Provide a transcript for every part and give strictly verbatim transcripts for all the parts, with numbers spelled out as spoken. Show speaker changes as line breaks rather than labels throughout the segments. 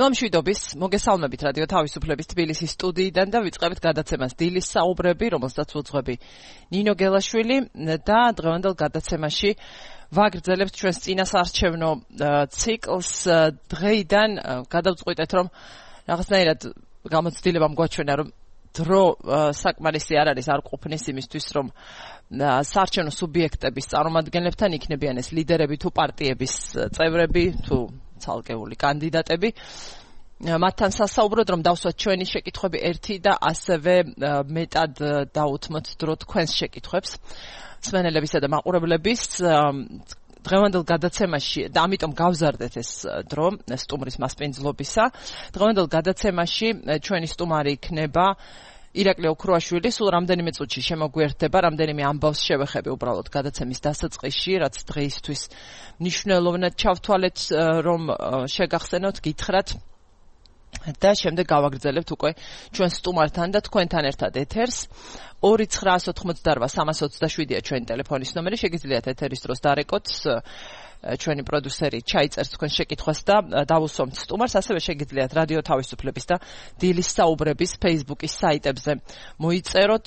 დილამშვიდობის, მოგესალმებით რადიო თავისუფლების თბილისის სტუდიიდან და ვიწყებთ გადაცემას დილის საუბრები, რომელსაც უძღვები ნინო გელაშვილი და დღევანდელ გადაცემაში ვაგრძელებთ ჩვენს წინასაარჩევნო ციკლს. დღეიდან გადავწყვიტეთ, რომ რაღაცნაირად გამოცდილებამ გვაჩვენა, რომ დრო საკმარისი არ არის, არ ყოფნის იმისთვის, რომ საარჩევნო სუბიექტების წარმომადგენლებთან იქნებიან ეს ლიდერები თუ პარტიების წევრები თუ ცალკეული კანდიდატები. მათთან სასაუბროდ, რომ დავსვათ ჩვენი შეკითხვები ერთი და ასევე მეტად დაუთმოთ დრო თქვენს შეკითხვებს მსმენელებისა და მაყურებლების დღევანდელ გადაცემაში და ამიტომ გავზარდეთ ეს დრო სტუმრის მასპინძლობისა. დღევანდელ გადაცემაში ჩვენი სტუმარი იქნება ირაკლი ოქროაშვილი. სულ რამდენიმე წუთში შემოგვიერთდება, რამდენიმე ამბავს შევეხები უბრალოდ გადაცემის დასაწყისში, რაც დღეისთვის მნიშვნელოვნად ჩავთვალეთ, რომ შეგახსენოთ, გითხრათ და შემდეგ გავაგრძელებთ უკვე ჩვენ სტუმართან და თქვენთან ერთად ეთერს. ორი ცხრაას ოთხმოცდარბა სამას ოცდაშვიდია ჩვენი ტელეფონის ნომერი, შეგიძლიათ ეთერის დროს დარეკოთ. ჩვენი პროდიუსერი ჩაიწერს თქვენ შეკითხვას და დავუსვამთ სტუმარს. ასევე შეგიძლიათ რადიო თავისუფლების და დილის საუბრების Facebook-ის საიტებზე მოიწეროთ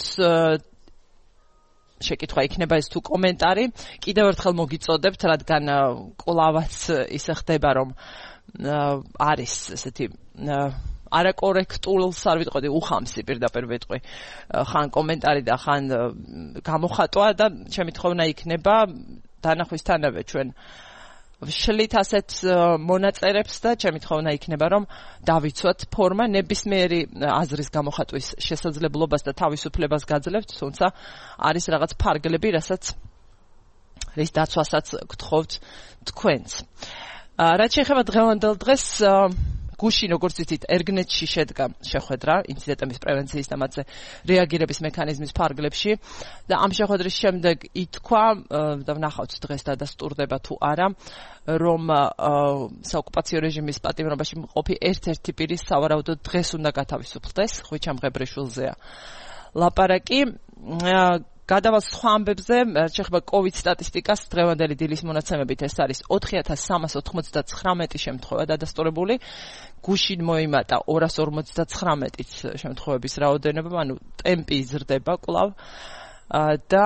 შეკითხვა, იქნება ეს თუ კომენტარი. კიდევ ერთხელ მოგიწოდებთ, რადგან კვლავაც ისე ხდება, რომ არის ესეთი არაკორექტულს არ ვიტყოდი, უხამსი პირდაპირ ვიტყვი, ხან კომენტარი და ხან გამოხატვა და შემთხვევნა იქნება დანახვისთანავე ჩვენ ვშლით ასეთ მონაწერებს და შემთხვევნა იქნება, რომ დავიცვათ ფორმა, ნებისმიერი აზრის გამოხატვის შესაძლებლობას და თავისუფლებას გაძლევთ, თუმცა არის რაღაც ფარგლები, რასაც რის დაცვასაც გთხოვთ თქვენც. რაც შეეხება დღევანდელ დღეს, გუშინ, როგორც ვიცით, ერგნეტში შედგა შეხვედრა ინციდენტების პრევენციის და მათზე რეაგირების მექანიზმის ფარგლებში და ამ შეხვედრის შემდეგ ითქვა და ვნახავთ დღეს დადასტურდება თუ არა, რომ საოკუპაციო რეჟიმის პატიმრობაში მყოფი ერთ-ერთი პირი სავარაუდოდ დღეს უნდა გათავისუფლდეს. ხვიჩა მღებრიშვილზეა ლაპარაკი. გადავალ სხვა ამბებზე, შეეხება COVID სტატისტიკას, დღევანდელი დილის მონაცემებით ეს არის ოთხი ათას სამას ოცდაცხრამეტი შემთხვევა დადასტურებული. გუშინ მოიმატა ორას ორმოცდაცხრამეტი შემთხვევების რაოდენობა, ანუ ტემპი იზრდება კვლავ და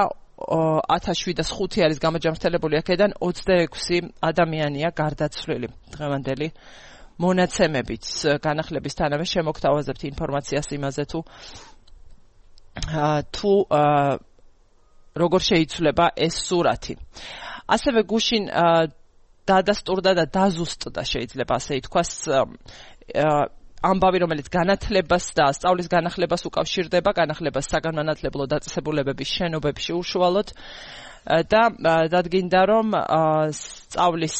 ათას შვიდას ხუთი არის გამოჯამრთელებული, აქედან ოცდაექვსი ადამიანია გარდაცვლილი. დღევანდელი მონაცემებით განახლებისთანავე შემოგთავაზებთ ინფორმაციას იმაზე თუ თუ როგორ შეიცვლება ეს სურათი. ასევე გუშინ დადასტურდა და დაზუსტდა, შეიძლება ასე ითქვას, ამბავი, რომელიც განათლებას და სწავლის განახლებას უკავშირდება, განახლებას საგანმანათლებლო დაწესებულებების შენობებში უშუალოდ და დადგინდა, რომ სწავლის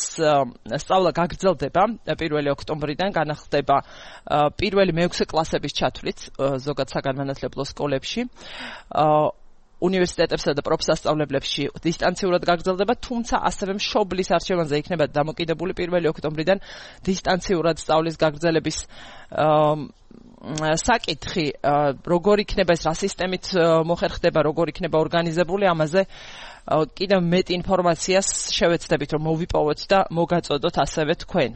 სწავლა გაგრძელდება პირველი ოქტომბრიდან, განახლდება პირველი მეექვსე კლასების ჩათვლით ზოგად საგანმანათლებლო სკოლებში. უნივერსიტეტებსა და პროფსასწავლებლებში დისტანციურად გაგრძელდება, თუმცა ასევე მშობლის არჩევანზე იქნება დამოკიდებული პირველი ოქტომბრიდან დისტანციურად სწავლის გაგრძელების საკითხი, როგორ იქნება ეს, რა სისტემით მოხერხდება, როგორ იქნება ორგანიზებული, ამაზე კიდევ მეტ ინფორმაციას შევეცდებით, რომ მოვიპოვოთ და მოგაწოდოთ ასევე თქვენ.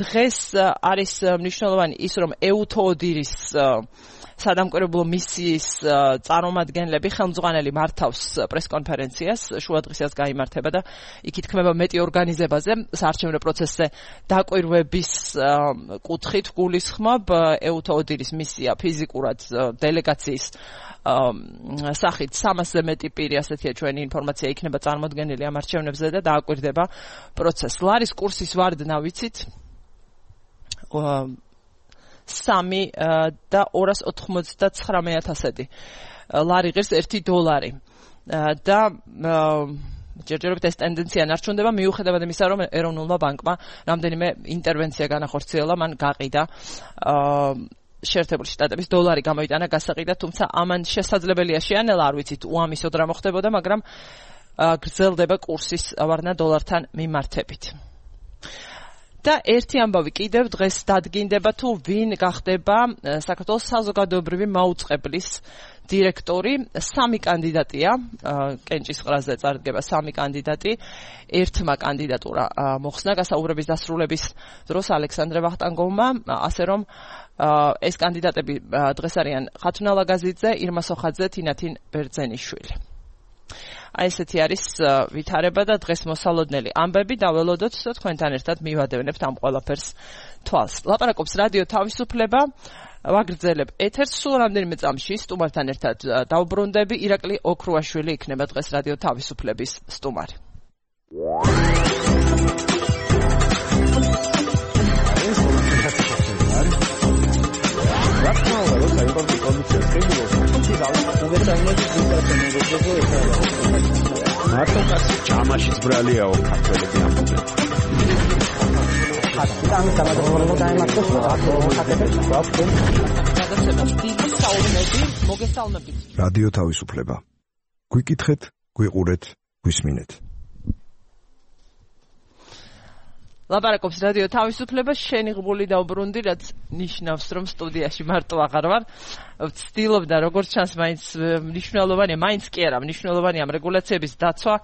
დღეს არის მნიშვნელოვანი ის, რომ ეუთოოდირის სადამკვირვებლო მისიის წარმომადგენლები ხელმძღვანელი მართავს პრესკონფერენციას, შუადღისას გაიმართება და იქ ითქმება მეტი ორგანიზებაზე, საარჩევნო პროცესზე დაკვირვების კუთხით გულისხმობ. ეუთოოდირის მისია ფიზიკურად დელეგაციის სახით სამასზე მეტი პირი, ასეთია ჩვენი ინფორმაცია, იქნება წარმოდგენილი ამ არჩევნებზე და დააკვირდება პროცესს. ლარის კურსის ვარდნა ვიცით, სამი და ორას ოთხმოცდაცხრამეტ ათასი ლარი ღირს ერთი დოლარი და ჯერჯერობით ეს ტენდენცია ნარჩუნდება, მიუხედავად იმისა, რომ ეროვნულმა ბანკმა რამდენიმე ინტერვენცია განახორციელა, მან გაყიდა შეერთებული შტატების დოლარი გამოიტანა გასაყიდად, თუმცა ამან შესაძლებელია შეანელა, არ ვიცით უამისოდ რა მოხდებოდა, მაგრამ გრძელდება კურსის ვარდნა დოლართან მიმართებით. და ერთი ამბავი კიდევ დღეს დადგინდება თუ ვინ გახდება საქართველოს საზოგადოებრივი მაუწყებლის დირექტორი. Სამი კანდიდატია, კენჭისყრაზე წარდგება სამი კანდიდატი. ერთმა კანდიდატურა მოხსნა გასაუბრების დასრულების დროს ალექსანდრე ვახტანგოვმა, ასე რომ ეს კანდიდატები დღეს არიან ხათუნა ლაგაზიძე, ირმა სოხაძე, თინათინ ბერძენიშვილი. Აი ესეთი არის ვითარება და დღეს მოსალოდნელი ამბები დაველოდოთ და თქვენთან ერთად მივადევნებთ ამ ყველაფერს თვალს. ლაპარაკობს რადიო თავისუფლება. ვაგრძელებ ეთერს სულ რამდენიმე წამში სტუმართან ერთად დავბრუნდები. ირაკლი ოქრუაშვილი იქნება დღეს რადიო თავისუფლების სტუმარი.
მარტო ჩამაშიც ბრალიაო ქართველები ამბობენ.
ამ სამადროულობ დაემართოს
რადიო თავისუფლება. გვიკითხეთ, გვიყურეთ, გვისმინეთ.
ლაპარაკობს რადიო თავისუფლება, შენი ღმული დაუბრუნდი, რაც ნიშნავს, რომ სტუდიაში მარტო აღარ ვარ. ვცდილობდა, როგორც ჩანს, მაინც მნიშვნელოვანია, მაინც კი არა, მნიშვნელოვანია ამ რეგულაციების დაცვა.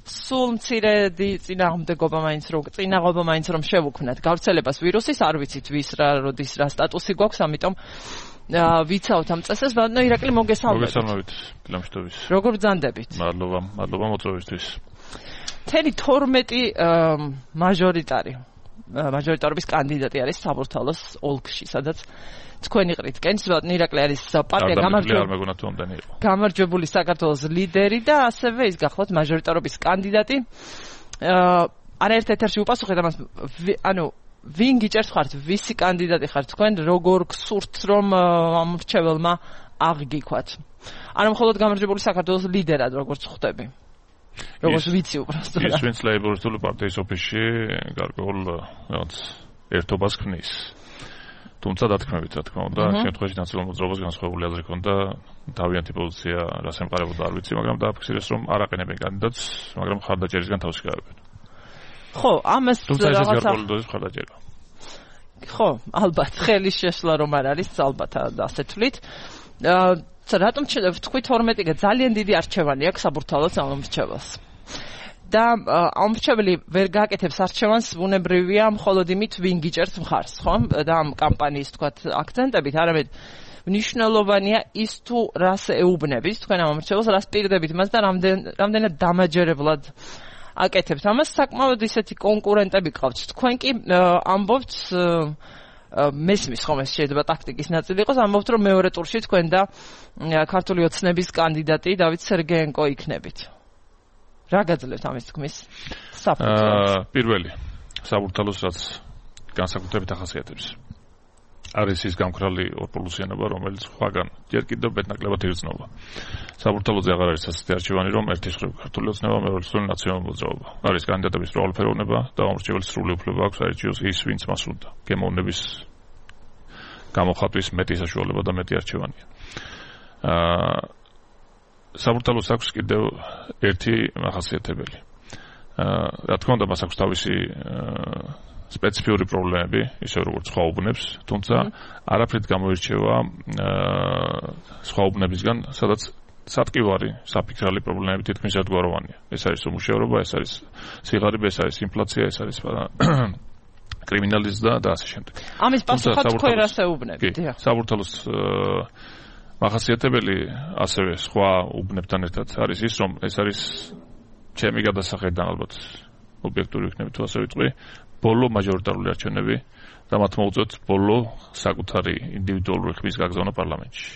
სულ მცირე წინააღმდეგობა მაინც რომ წინააღობა მაინც რომ შევუქმნათ გავრცელებას ვირუსის, არ ვიცით ვის რა როდის რა სტატუსი გვაქვს, ამიტომ ვიცავთ ამ წესს. ბატონო ირაკლი, მოგესალმებით.
მოგესალმებით, გილამშტობის.
როგორ ბრძანდებით?
მადლობა, მადლობა მოწვევისთვის.
თერი თორმეტი მაჟორიტარი მაჟორიტარობის კანდიდატი არის საბურთალოს ოლქში, სადაც თქვენი ყრით კენჭს ბატონო ირაკლი არის პარტია გამარჯვებული გამარჯვებული საქართველოს ლიდერი და ასევე ის გახლავთ მაჟორიტარობის კანდიდატი. არაერთ ეთერში უპასუხეთ ამას, ანუ ვინ გიჭერთ ხართ, ვისი კანდიდატი ხართ თქვენ, როგორ გსურთ რომ ამ მრჩეველმა აღგიქვათ? არა მხოლოდ გამარჯვებული საქართველოს ლიდერად როგორც ხვდები. როგორც ვიცი უბრალოდ.
ის ვინც ლეიბორისტული პარტიის ოფისში გარკვეულ რაღაც ერთობას ქმნის. თუმცა დათქმებით, რა თქმა უნდა, შემთხვევაში ნაციონალურ მოძრაობას განსხვავებული აზრი ჰქონდა, თავიანთი პოზიცია რას ემყარებოდა არ ვიცი, მაგრამ დააფიქსირეს, რომ არ აყენებენ კანდიდატს, მაგრამ მხარდაჭერისგან თავს იღებენ.
ხო, ამას
რაღაცა მხარდაჭერა.
ხო, ალბათ ხელის შეშლა რომ არ არის, ალბათ ასე თვლით. რატომ თქვი თორმეტი ძალიან დიდი არჩევანი აქვს საბურთალოს ამ მრჩეველს. და ამ მრჩეველი ვერ გააკეთებს არჩევანს, ბუნებრივია მხოლოდ იმით ვინ გიჭერთ მხარს, ხო? და ამ კამპანიის თქვათ აქცენტებით, არამედ მნიშვნელოვანია ის თუ რას ეუბნებით თქვენ ამ მრჩეველს, რას პირდებით მას და რამდენ რამდენად დამაჯერებლად აკეთებთ ამას. საკმაოდ ისეთი კონკურენტები ყავთ. თქვენ კი ამბობთ მესმის ხომ ეს შეიძლება ტაქტიკის ნაწილი იყოს, ამბობთ რომ მეორე ტურში თქვენ და ქართული ოცნების კანდიდატი დავით სერგეენკო იქნებით. რა გაძლევთ ამის თქმის საფუძველს?
პირველი საბურთალოს რაც განსაკუთრებით ახასიათებს არის ის გამქრალი ორპლუსიანობა, რომელიც სხვაგან ჯერ კიდევ მეტნაკლებად იგრძნობა. საბურთალოზე აღარ არის ასეთი არჩევანი, რომ ერთის მხრივ ქართული ოცნება, მეორე მხრივ ნაციონალური მოძრაობა. არის კანდიდატების მრავალფეროვნება და ამორჩეველს სრული უფლება აქვს აირჩიოს ის, ვინც მას უნდა. გემოვნების გამოხატვის მეტი საშუალება და მეტი არჩევანია. აა საბურთალოს აქვს კიდევ ერთი ახასიათებელი. აა რა თქმა უნდა, მას აქვს თავისი სპეციფიური პრობლემები, ისე როგორც სხვა უბნებს, თუმცა არაფრით გამოირჩევა სხვა უბნებისგან, სადაც სატკივარი, საფიქრალი პრობლემები თითქმის ერთგვაროვანია. ეს არის უმუშევრობა, ეს არის სიღარიბე, ეს არის ინფლაცია, ეს არის კრიმინალიზმი და ასე შემდეგ.
ამის პასუხად თქვენ რას ეუბნებით?
საბურთალოს ახასიათებელი ასევე სხვა უბნებთან ერთად არის ის, რომ ეს არის ჩემი გადასახედიდან ალბათ ობიექტური იქნებით თუ ასე ვიტყვი, ბოლო მაჟორიტარული არჩევნები და მათ მოუწევთ ბოლო საკუთარი ინდივიდუალური ხმის გაგზავნა პარლამენტში.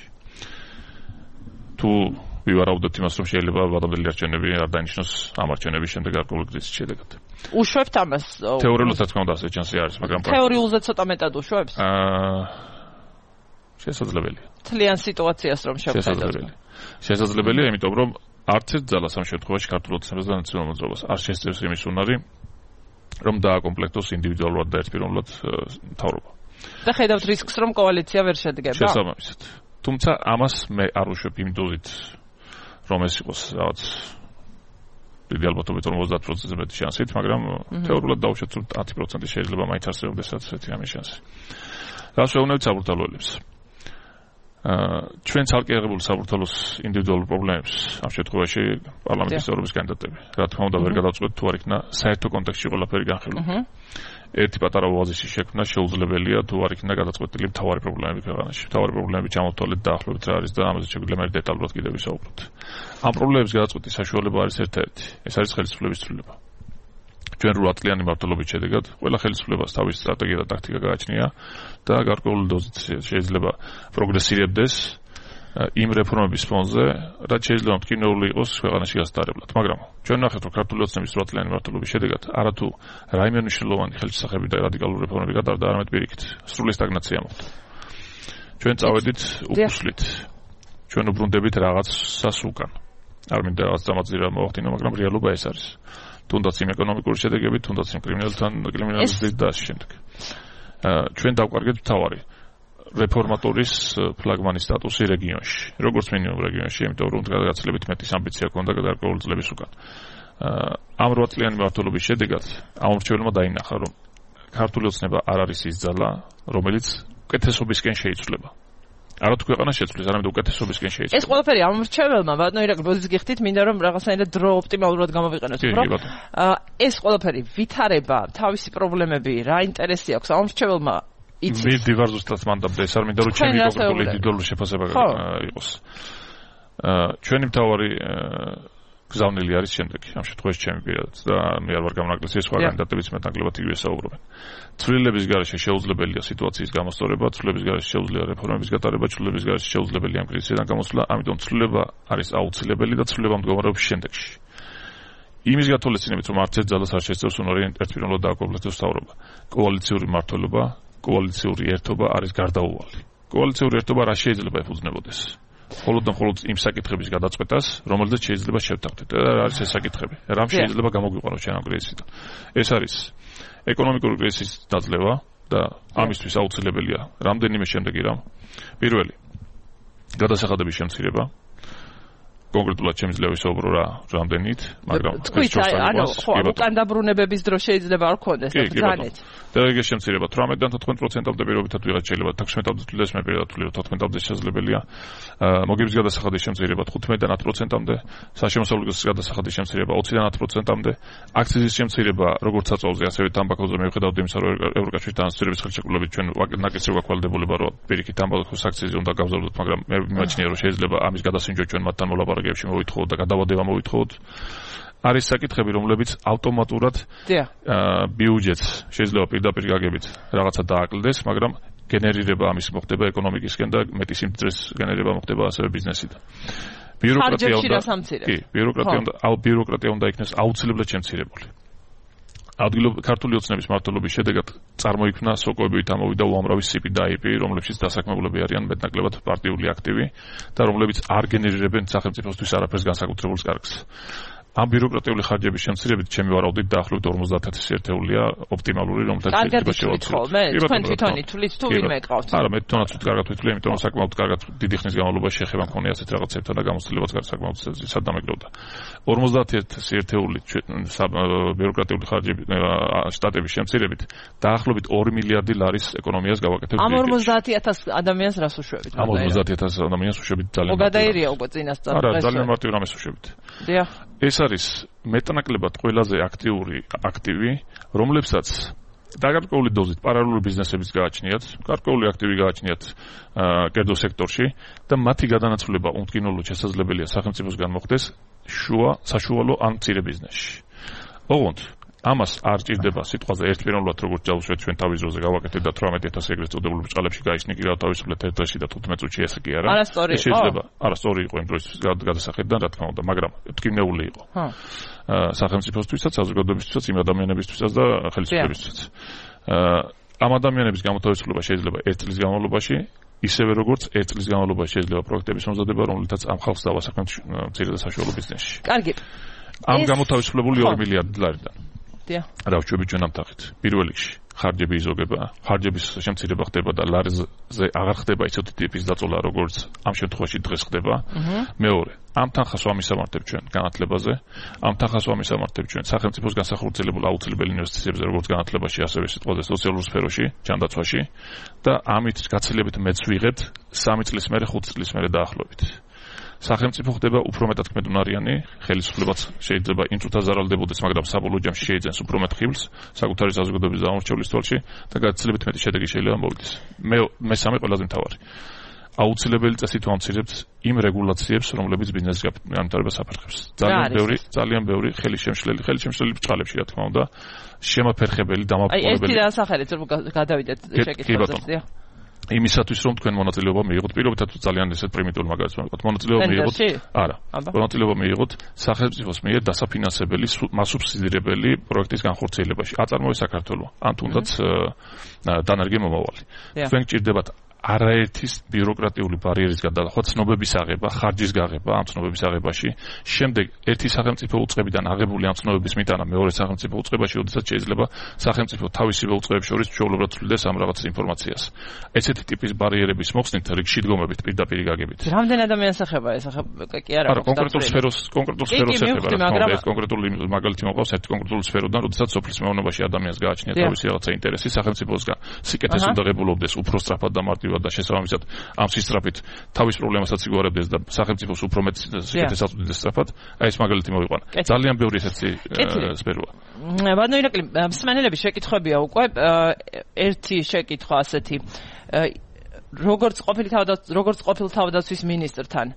თუ ვივარაუდოთ იმას, რომ შეიძლება ვადამდელი არჩევნები არ დაინიშნოს ამ არჩევნების შემდეგ გარკვეული გზის შედეგად.
უშვებთ ამას?
თეორიულად რა თქმა უნდა ასე ჩანსი არის, მაგრამ
თეორიულზე ცოტა მეტად უშვებს?
აა შესაძლებელია.
თლიან სიტუაციას რომ შევხედოთ.
შესაძლებელია, იმიტომ რომ არც ერთ ძალას ამ შემთხვევაში ქართულ ოცნებას და ნაციონალურ მოძრაობას არ შესწევს იმის უნარი, რომ დააკომპლექტოს ინდივიდუალურად და ერთპიროვნულად მთავრობა.
და ხედავთ რისკს, რომ კოალიცია ვერ შედგება?
შესაბამისად. თუმცა ამას მე არ უშვებ იმ დოზით, რომ ეს იყოს რაღაც დიდი ალბათობით ორმოცდაათ პროცენტზე მეტი შანსით, მაგრამ თეორიულად დავუშვათ, რომ ათი პროცენტი შეიძლება მაინც არსებობდეს ესეთი ამის შანსი. რას ვეუბნებით საბურთალოელებს? აა ჩვენ ცალკე აღებული საბურთალოს ინდივიდუალურ პრობლემებს ამ შემთხვევაში პარლამენტის წევრობის კანდიდატები. რა თქმა უნდა, ვერ გადავწყვეტ თუ არ იქნა საერთო კონტექსტში ყველაფერი განხილული. ერთი პატარა ოაზისის შექმნა შეუძლებელია თუ არ იქნა გადაწყვეტილი მთავარი პრობლემები ქვეყანაში. მთავარი პრობლემები ჩამოვთვალეთ დაახლოებით რა არის და ამაზე შეგვიძლია მე დეტალურად კიდევ ვისაუბროთ. ამ პრობლემების გადაწყვეტის საშუალება არის ერთ-ერთი. ეს არის ხელისუფლების ცვლილება. ჩვენ რვა წლიანი მმართველობის შედეგად ყველა ხელისუფლებას თავისი სტრატეგია და ტაქტიკა გააჩნია და გარკვეული დოზით შეიძლება პროგრესირებდეს იმ რეფორმების ფონზე, რაც შეიძლება მტკივნეული იყოს ქვეყანაში გასტარებლად. მაგრამ ჩვენ ნახეთ, რომ ქართული ოცნების რვა წლიანი მმართველობის შედეგად არათუ რაიმე მნიშვნელოვანი ხელშესახები და რადიკალური რეფორმები გატარდა, არამედ პირიქით, სრული სტაგნაცია მოხდა. ჩვენ წავედით უკუსლით. ჩვენ უბრუნდებით რაღაცას უკან. არ მინდა რაღაც დამაძირა მოვახდინო, მაგრამ რეალობა ეს არის. თუნდაც იმ ეკონომიკური შედეგებით, თუნდაც იმ კრიმინალთან კრიმინალიზმით და ასე შემდეგ. ჩვენ დავკარგეთ მთავარი რეფორმატორის ფლაგმანის სტატუსი რეგიონში. როგორც მინიმუმ რეგიონში, იმიტომ რომ გადაგაცილებით მეტის ამბიცია ჰქონდა გარკვეული წლების უკან. ამ რვა წლიანი მმართველობის შედეგად ამ მრჩეველმა დაინახა, რომ ქართული ოცნება არ არის ის ძალა, რომელიც უკეთესობისკენ შეიცვლება. არათუ ქვეყანა შეცვლის, არამედ უკეთესობისკენ შეიცვლება. ეს
ყველაფერი ამ მრჩეველმა, ბატონო ირაკლი, ბოდიშ გიხდით, მინდა რომ რაღაცნაირად დრო ოპტიმალურად გამოვიყენოთ, რომ ეს ყველაფერი ვითარება, თავისი პრობლემები, რა ინტერესი აქვს ამ მრჩეველმა იცის.
მე დივარ ზუსტად მანდაბდა, ეს არ მინდა რომ ჩემი კონკრეტული ინდივიდუალური შეფასება იყოს. ჩვენი მთავარი გზავნილი არის შემდეგი, ამ შემთხვევაში ჩემი პირადად და მე არ ვარ გამონაკლისი, სხვა კანდიდატებიც მეტნაკლებად იგივე საუბრობენ. ცვლილების გარეშე შეუძლებელია სიტუაციის გამოსწორება, ცვლილების გარეშე შეუძლია რეფორმების გატარება, ცვლილების გარეშე შეუძლებელია ამ კრიზისიდან გამოსვლა, ამიტომ ცვლილება არის აუცილებელი და ცვლილება მდგომარეობს შემდეგში. იმის გათვალისწინებით, რომ არც ერთ ძალას არ შეძლებს ერთპიროვნულად დააკომპლექტოს მთავრობა. კოალიციური მმართველობა, კოალიციური ერთობა არის გარდაუვალი. კოალიციური ერთობა რა შეიძლება ეფუძნებოდეს? მხოლოდ და მხოლოდ იმ საკითხების გადაწყვეტას, რომელზეც შეიძლება შევთანხმდეთ. და რა არის ეს საკითხები? რამ შეიძლება გამოგვიყვანოს ჩვენ ამ კრიზისიდან? ეს არის ეკონომიკური კრიზისის დაძლევა და ამისთვის აუცილებელია რამდენიმე შემდეგი რამ. პირველი, გადასახადების შემცირება. კონკრეტულად შემიძლია ვისაუბრო რა რამდენით, მაგრამ
თქვით, ანუ ხო, უკან დაბრუნებების დრო შეიძლება არ ქონდეს და ბრძანეთ.
დელეგეს შემცირება თვრამეტიდან თოთხმეტ პროცენტამდე პირობითად ვიღაც შეიძლება თექვსმეტამდე თვლდეს, მე პირადად ვთვლი რომ თოთხმეტამდე შესაძლებელია. მოგების გადასახადის შემცირება თხუთმეტიდან ათ პროცენტამდე, საშემოსავლების გადასახადის შემცირება ოციდან ათ პროცენტამდე, აქციზის შემცირება როგორც საწოლზე, ასევე თამბაქოზე მიუხედავად იმისა, რომ ევროკავშირთან ასოცირების ხელშეკრულებით ჩვენ ნაკისრი გვაქვალდებულება რომ პირიქით თამბაქოს აქციზი უნდა გავზარდოთ, მაგრამ მე მიმაჩნია რომ შეიძლება ამის გადასინჯვა ჩვენ მათთან მოლაპარაკებებში მოვითხოვოთ და გადავადება მოვითხოვოთ. არის საკითხები, რომლებიც ავტომატურად ბიუჯეტს შეიძლება პირდაპირ გაგებით რაღაცა დააკლდეს, მაგრამ გენერირება ამის მოხდება ეკონომიკისკენ და მეტი სიმძრეს გენერირება მოხდება ასევე ბიზნესიდან. ბიუროკრატია უნდა კი, ბიუროკრატია უნდა აუ ბიუროკრატია უნდა იქნეს აუცილებლად შემცირებული. ადგილობრივი ქართული ოცნების მმართველობის შედეგად წარმოიქმნა სოკოებით ამოვიდა უამრავი სი პი და აი პი, რომლებშიც დასაქმებულები არიან მეტნაკლებად პარტიული აქტივი და რომლებიც არ გენერირებენ სახელმწიფოსთვის არაფერს განსაკუთრებულს კარგს. ამ ბიუროკრატიული ხარჯების შემცირებით ჩემი ვარაუდით დაახლოებით ორმოცდაათ ათასი ერთეულია ოპტიმალური, რომელთაც
შეიძლება შევაცვლოთ. მე თქვენ თვითონ ითვლით თუ ვინმე ყავთ?
არა, მე თვითონაც ვთქარგათ ვთვლი, იმიტომ რომ საკმაოდ კარგად დიდი ხნის განმავლობაში შეხება მქონია ასეთ რაღაცებთან და გამოცდილებაც საკმაოდ სად დამეგროვდა. ორმოცდაათ ათასი ერთეული ბიუროკრატიული ხარჯები შტატების შემცირებით დაახლოებით ორი მილიარდი ლარის ეკონომიას გავაკეთებთ.
ამ ორმოცდაათ ათასი ადამიანს რას უშვებით?
ამ ორმოცდაათ ათასი ადამიანს უშვებით ძალიან.
მოგადაირია უკვე წინასწარ.
არა, ძალიან მარტივ რამეს უშვებით.
დიახ.
ეს არის მეტნაკლებად ყველაზე აქტიური აქტივი, რომლებსაც დაგარკვეული დოზით პარალელური ბიზნესებიც გააჩნიათ, გარკვეული აქტივი გააჩნიათ კერძო სექტორში და მათი გადანაცვლება უმტკივნეულად შესაძლებელია სახელმწიფოსგან მოხდეს შუა საშუალო ან მცირე ბიზნესში. ოღონდ ამას არ ჭირდება სიტყვაზე ერთპიროვნულად როგორც ჯავშეთ ჩვენ თავის ძროზე გავაკეთეთ და თვრამეტი ათასი ეგრეთ წოდებულ ბრჭყალებში გაიხსნი კი რა თავისუფლად ერთ დღეში და თხუთმეტ წუთში ესე კი არა.
არასწორი იყო.
შეიძლება, არასწორი იყო იმ დროის გადასახედიდან რა თქმა უნდა, მაგრამ მტკივნეული იყო. ჰა. სახელმწიფოსთვისაც, საზოგადოებისთვისაც, იმ ადამიანებისთვისაც და ხელისუფლებისთვისაც. ამ ადამიანების გამოთავისუფლება შეიძლება ერთ წლის განმავლობაში, ისევე როგორც ერთ წლის განმავლობაში შეიძლება პროექტების მომზადება, რომლითაც ამ ხალხს დავასახმებთ მცირე და საშუალო ბიზნესში.
კარგი.
ამ გამოთავისუფლებული ორი მილიარდი ლარიდან.
დიახ.
რა ვშვებით ჩვენ ამ თახით. პირველ რიგში ხარჯები იზოგება, ხარჯების შემცირება ხდება და ლარზე აღარ ხდება ისეთი ტიპის დაწოლა, როგორც ამ შემთხვევაში დღეს ხდება. მეორე, ამ თანხას ვამისამართებ ჩვენ განათლებაზე, ამ თანხას ვამისამართებ ჩვენ სახელმწიფოს განსახორციელებულ აუცილებელ ინვესტიციებზე, როგორც განათლებაში, ასევე სიტყვაზე სოციალურ სფეროში, ჯანდაცვაში და ამით გაცილებით მეც ვიღებთ სამი წლის მერე, ხუთი წლის მერე დაახლოებით. სახელმწიფო ხდება უფრო მეტად კმედუნარიანი, ხელისუფლებაც შეიძლება იმ წუთას ზარალდებოდეს, მაგრამ საბოლოო ჯამში შეიძენს უფრო მეტ ხილს საკუთარი საზოგადოების დამორჩევლის თვალში და გაცილებით მეტი შედეგი შეიძლება მოვიდეს. მე მესამე ყველაზე მთავარი. აუცილებელი წესით ვამცირებთ იმ რეგულაციებს, რომლებიც ბიზნესის განვითარებას აფერხებს. ძალიან ბევრი, ძალიან ბევრი ხელისშემშლელი, ხელისშემშლელი ბრწყალებში, რა თქმა უნდა, შემაფერხებელი, დამაფუძნებელი.
აი, ერთი დასახელეთ, რომ გადავიდეთ შეკითხვაზე.
იმისათვის რომ თქვენ მონაწილეობა მიიღოთ, პირობითად ძალიან ესეთ პრიმიტიული მაგალითს ვამბობთ. მონაწილეობა მიიღოთ, არა. მონაწილეობა მიიღოთ სახელმწიფოს მიერ დასაფინანსებელი, მასუბსიდირებელი პროექტის განხორციელებაში. აწარმოებს საქართველო, ან თუნდაც დანარგი მომავალი. თქვენ გჭირდებათ არაერთის ბიუროკრატიული ბარიერის გადალახვა, ცნობების აღება, ხარჯის გაღება ამ ცნობების აღებაში, შემდეგ ერთი სახელმწიფო უწყებიდან აღებული ამ ცნობების მიტანა მეორე სახელმწიფო უწყებაში, როდესაც შეიძლება სახელმწიფო თავისივე უწყებებს შორის ჩვეულებრივად ცვლიდეს ამ რაღაც ინფორმაციას. ესეთი ტიპის ბარიერების მოხსნით რიგში დგომებით პირდაპირ გაგებით.
რამდენ ადამიანს ეხება ეს კი არა?
არა, კონკრეტულ სფეროს, კონკრეტულ სფეროს ეხება, ეს კონკრეტული მაგალითი მოყავს ერთ კონკრეტულ სფეროდან, როდესაც სოფლის მეურნეობაში ადამიანს გააჩნია თავისი რაღაცა ინტერესი, სახელმწიფოსგან სიკეთეს უნდა ღებულობდეს უფრო სწრაფად და მარტივად და შესაბამისად ამ სისწრაფით თავის პრობლემასაც იგوارებდეს და სახელმწიფოს უფრო მეტ სიკეთეს აწვდიდეს სწრაფად. აი ეს მაგალითი მოვიყვანა. ძალიან ბევრი ესეთი სფეროა.
ბატონო ირაკლი, მსმენელების შეკითხვებია უკვე. ერთი შეკითხვა ასეთი. როგორც ყოფილი თავდაცვის როგორც ყოფილ თავდაცვის მინისტრთან,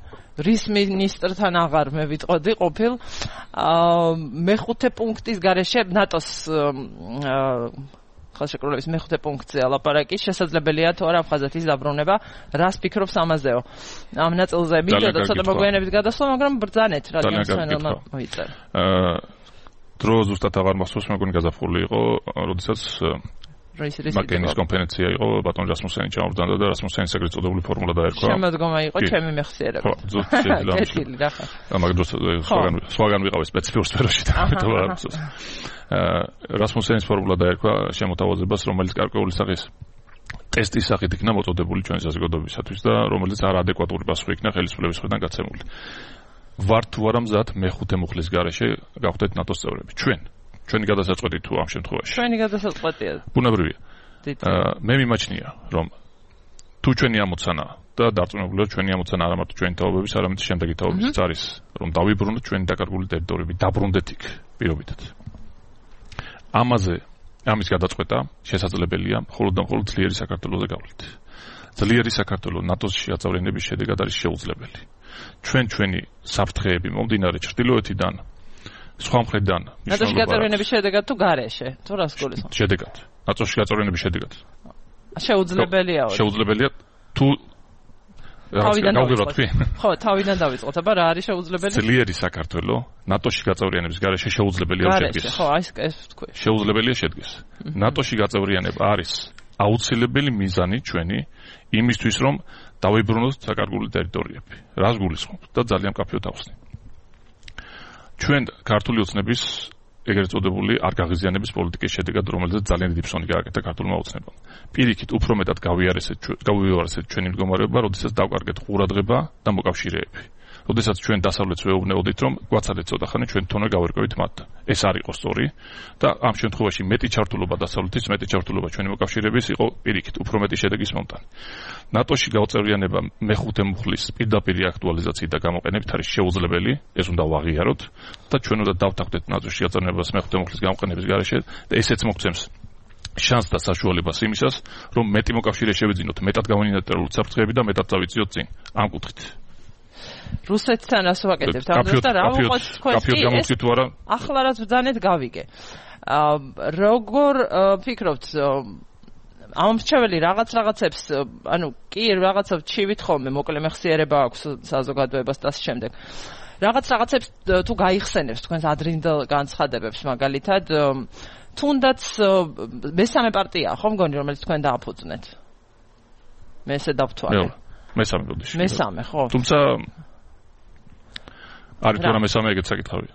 რის მინისტრთან აღარ მე ვიტყოდი ყოფილ მეხუთე პუნქტის გარეშე ნატოს ხელშეკრულების მეხუთე პუნქტზე ალაპარაკი შესაძლებელია თუ არა აფხაზეთის დაბრუნება. რას ფიქრობს ამაზეო? ამ ნაწილზე მინდოდა ცოტა მოგვიანებით გადასვლა, მაგრამ ბრძანეთ რადგან სანელმა მოიწერა.
დრო ზუსტად აღარ მახსოვს, მეგონი გაზაფხული იყო, როდესაც მაკენის კონფერენცია იყო, ბატონ რასმუსენი ჩამოვარდა და რასმუსენის ეგრეთ წოდებული ფორმულა დაერქვა.
შემოდგომა იყო ჩემი მეხსიერება.
ხო, ზუსტად შეიძლება. მაგრამ დროს სხვაგან სხვაგან ვიყავი სპეციფიურ სფეროში და ამიტომ არ მახსოვს. რასმუსენის ფორმულა დაერქვა შემოთავაზებას, რომელიც გარკვეული სახის ტესტის სახით იქნა მოწოდებული ჩვენი საზოგადოებისათვის და რომელიც არაადეკვატური პასუხი იქნა ხელისუფლების მხრიდან გაცემული. ვარ თუ არა მზად მეხუთე მუხლის გარეშე გავხდეთ ნატოს წევრები. ჩვენ ჩვენი გადასაწყვეტი თუ ამ შემთხვევაში.
ჩვენი გადასაწყვეტია.
ბუნებრივია. მე მიმაჩნია, რომ თუ ჩვენი ამოცანა და დარწმუნებულია ჩვენი ამოცანა არა მარტო ჩვენი თაობების, არამედ შემდეგი თაობებიც არის, რომ დავიბრუნოთ ჩვენი დაკარგული ტერიტორიები, დაბრუნდეთ იქ პირობითად. ამაზე ამის გადაწყვეტა შესაძლებელია მხოლოდ და მხოლოდ ძლიერი საქართველოზე გავლით. ძლიერი საქართველო ნატოში აწევრიანების შედეგად არის შეუძლებელი. ჩვენ ჩვენი საფრთხეები მომდინარე ჩრდილოეთიდან, სხვა მხრიდან,
ნატოში გაწევრიანების შედეგად თუ გარეშე, თუ რას გულისხმობ?
შედეგად. ნატოში გაწევრიანების შედეგად.
შეუძლებელია.
შეუძლებელია თუ
თავიდან
გავიგებთ თქვი?
ხო, თავიდან დავიწყოთ, აბა რა არის შეუძლებელი?
ძლიერი საქართველო ნატოში გაწევრიანების გარეშე შეუძლებელია შედგეს.
ხო, აი ეს თქვი.
შეუძლებელია შედგეს. ნატოში გაწევრიანება არის აუცილებელი მიზანი ჩვენი იმისთვის, რომ დავიბრუნოთ საკარგული ტერიტორიები. რას გულისხმობ და ძალიან მკაფიოდ ახსნი. ჩვენ ქართული ოცნების ეგრეთ წოდებული არ გაღიზიანების პოლიტიკის შედეგად, რომელზეც ძალიან დიდი ფსონი გააკეთა ქართულმა ოცნებამ. პირიქით უფრო მეტად გავიარესეთ გავიარესეთ ჩვენი მდგომარეობა, როდესაც დავკარგეთ ყურადღება და მოკავშირეები. როდესაც ჩვენ დასავლეთს ვეუბნეოდით, რომ გვაცადეთ ცოტა ხანი ჩვენ თვითონ გავერკვევით მათთან. ეს არ იყო სწორი და ამ შემთხვევაში მეტი ჩართულობა დასავლეთის, მეტი ჩართულობა ჩვენი მოკავშირეების იყო პირიქით უფრო მეტი შედეგის მომტანი. ნატოში გავწევრიანება მეხუთე მუხლის პირდაპირ აქტუალიზაციით და გამოყენებით არის შეუძლებელი, ეს უნდა ვაღიაროთ და ჩვენ უნდა დავთანხმდეთ ნატოში გაწევრიანებას მეხუთე მუხლის გამოყენების გარეშე და ესეც მოგცემს შანსს და საშუალებას იმისას, რომ მეტი მოკავშირე შევიძინოთ, მეტად გავინატრებულოთ საფრთხეები და მეტად წავიწიოთ წინ ამ კუთხით.
რუსეთთან ასე ვაკეთებთ ამას და რა ვიყოთ თქვენ
კი თუ არა
ახლა რაც ბრძანეთ გავიგე. როგორ ფიქრობთ ამ მრჩეველი რაღაც რაღაცებს ანუ კი რაღაცა ჩივით ხოლმე მოკლე მეხსიერება აქვს საზოგადოებას და ამ შემდეგ. რაღაც რაღაცებს თუ გაიხსენებს თქვენს ადრინდელ განცხადებებს მაგალითად თუნდაც მესამე პარტია ხო მგონი რომელიც თქვენ დააფუძნეთ. მე ესე დავთვალე. მესამე ბოდიში. მესამე, ხო. თუმცა არის თუ არა მესამე ეგეც საკითხავია.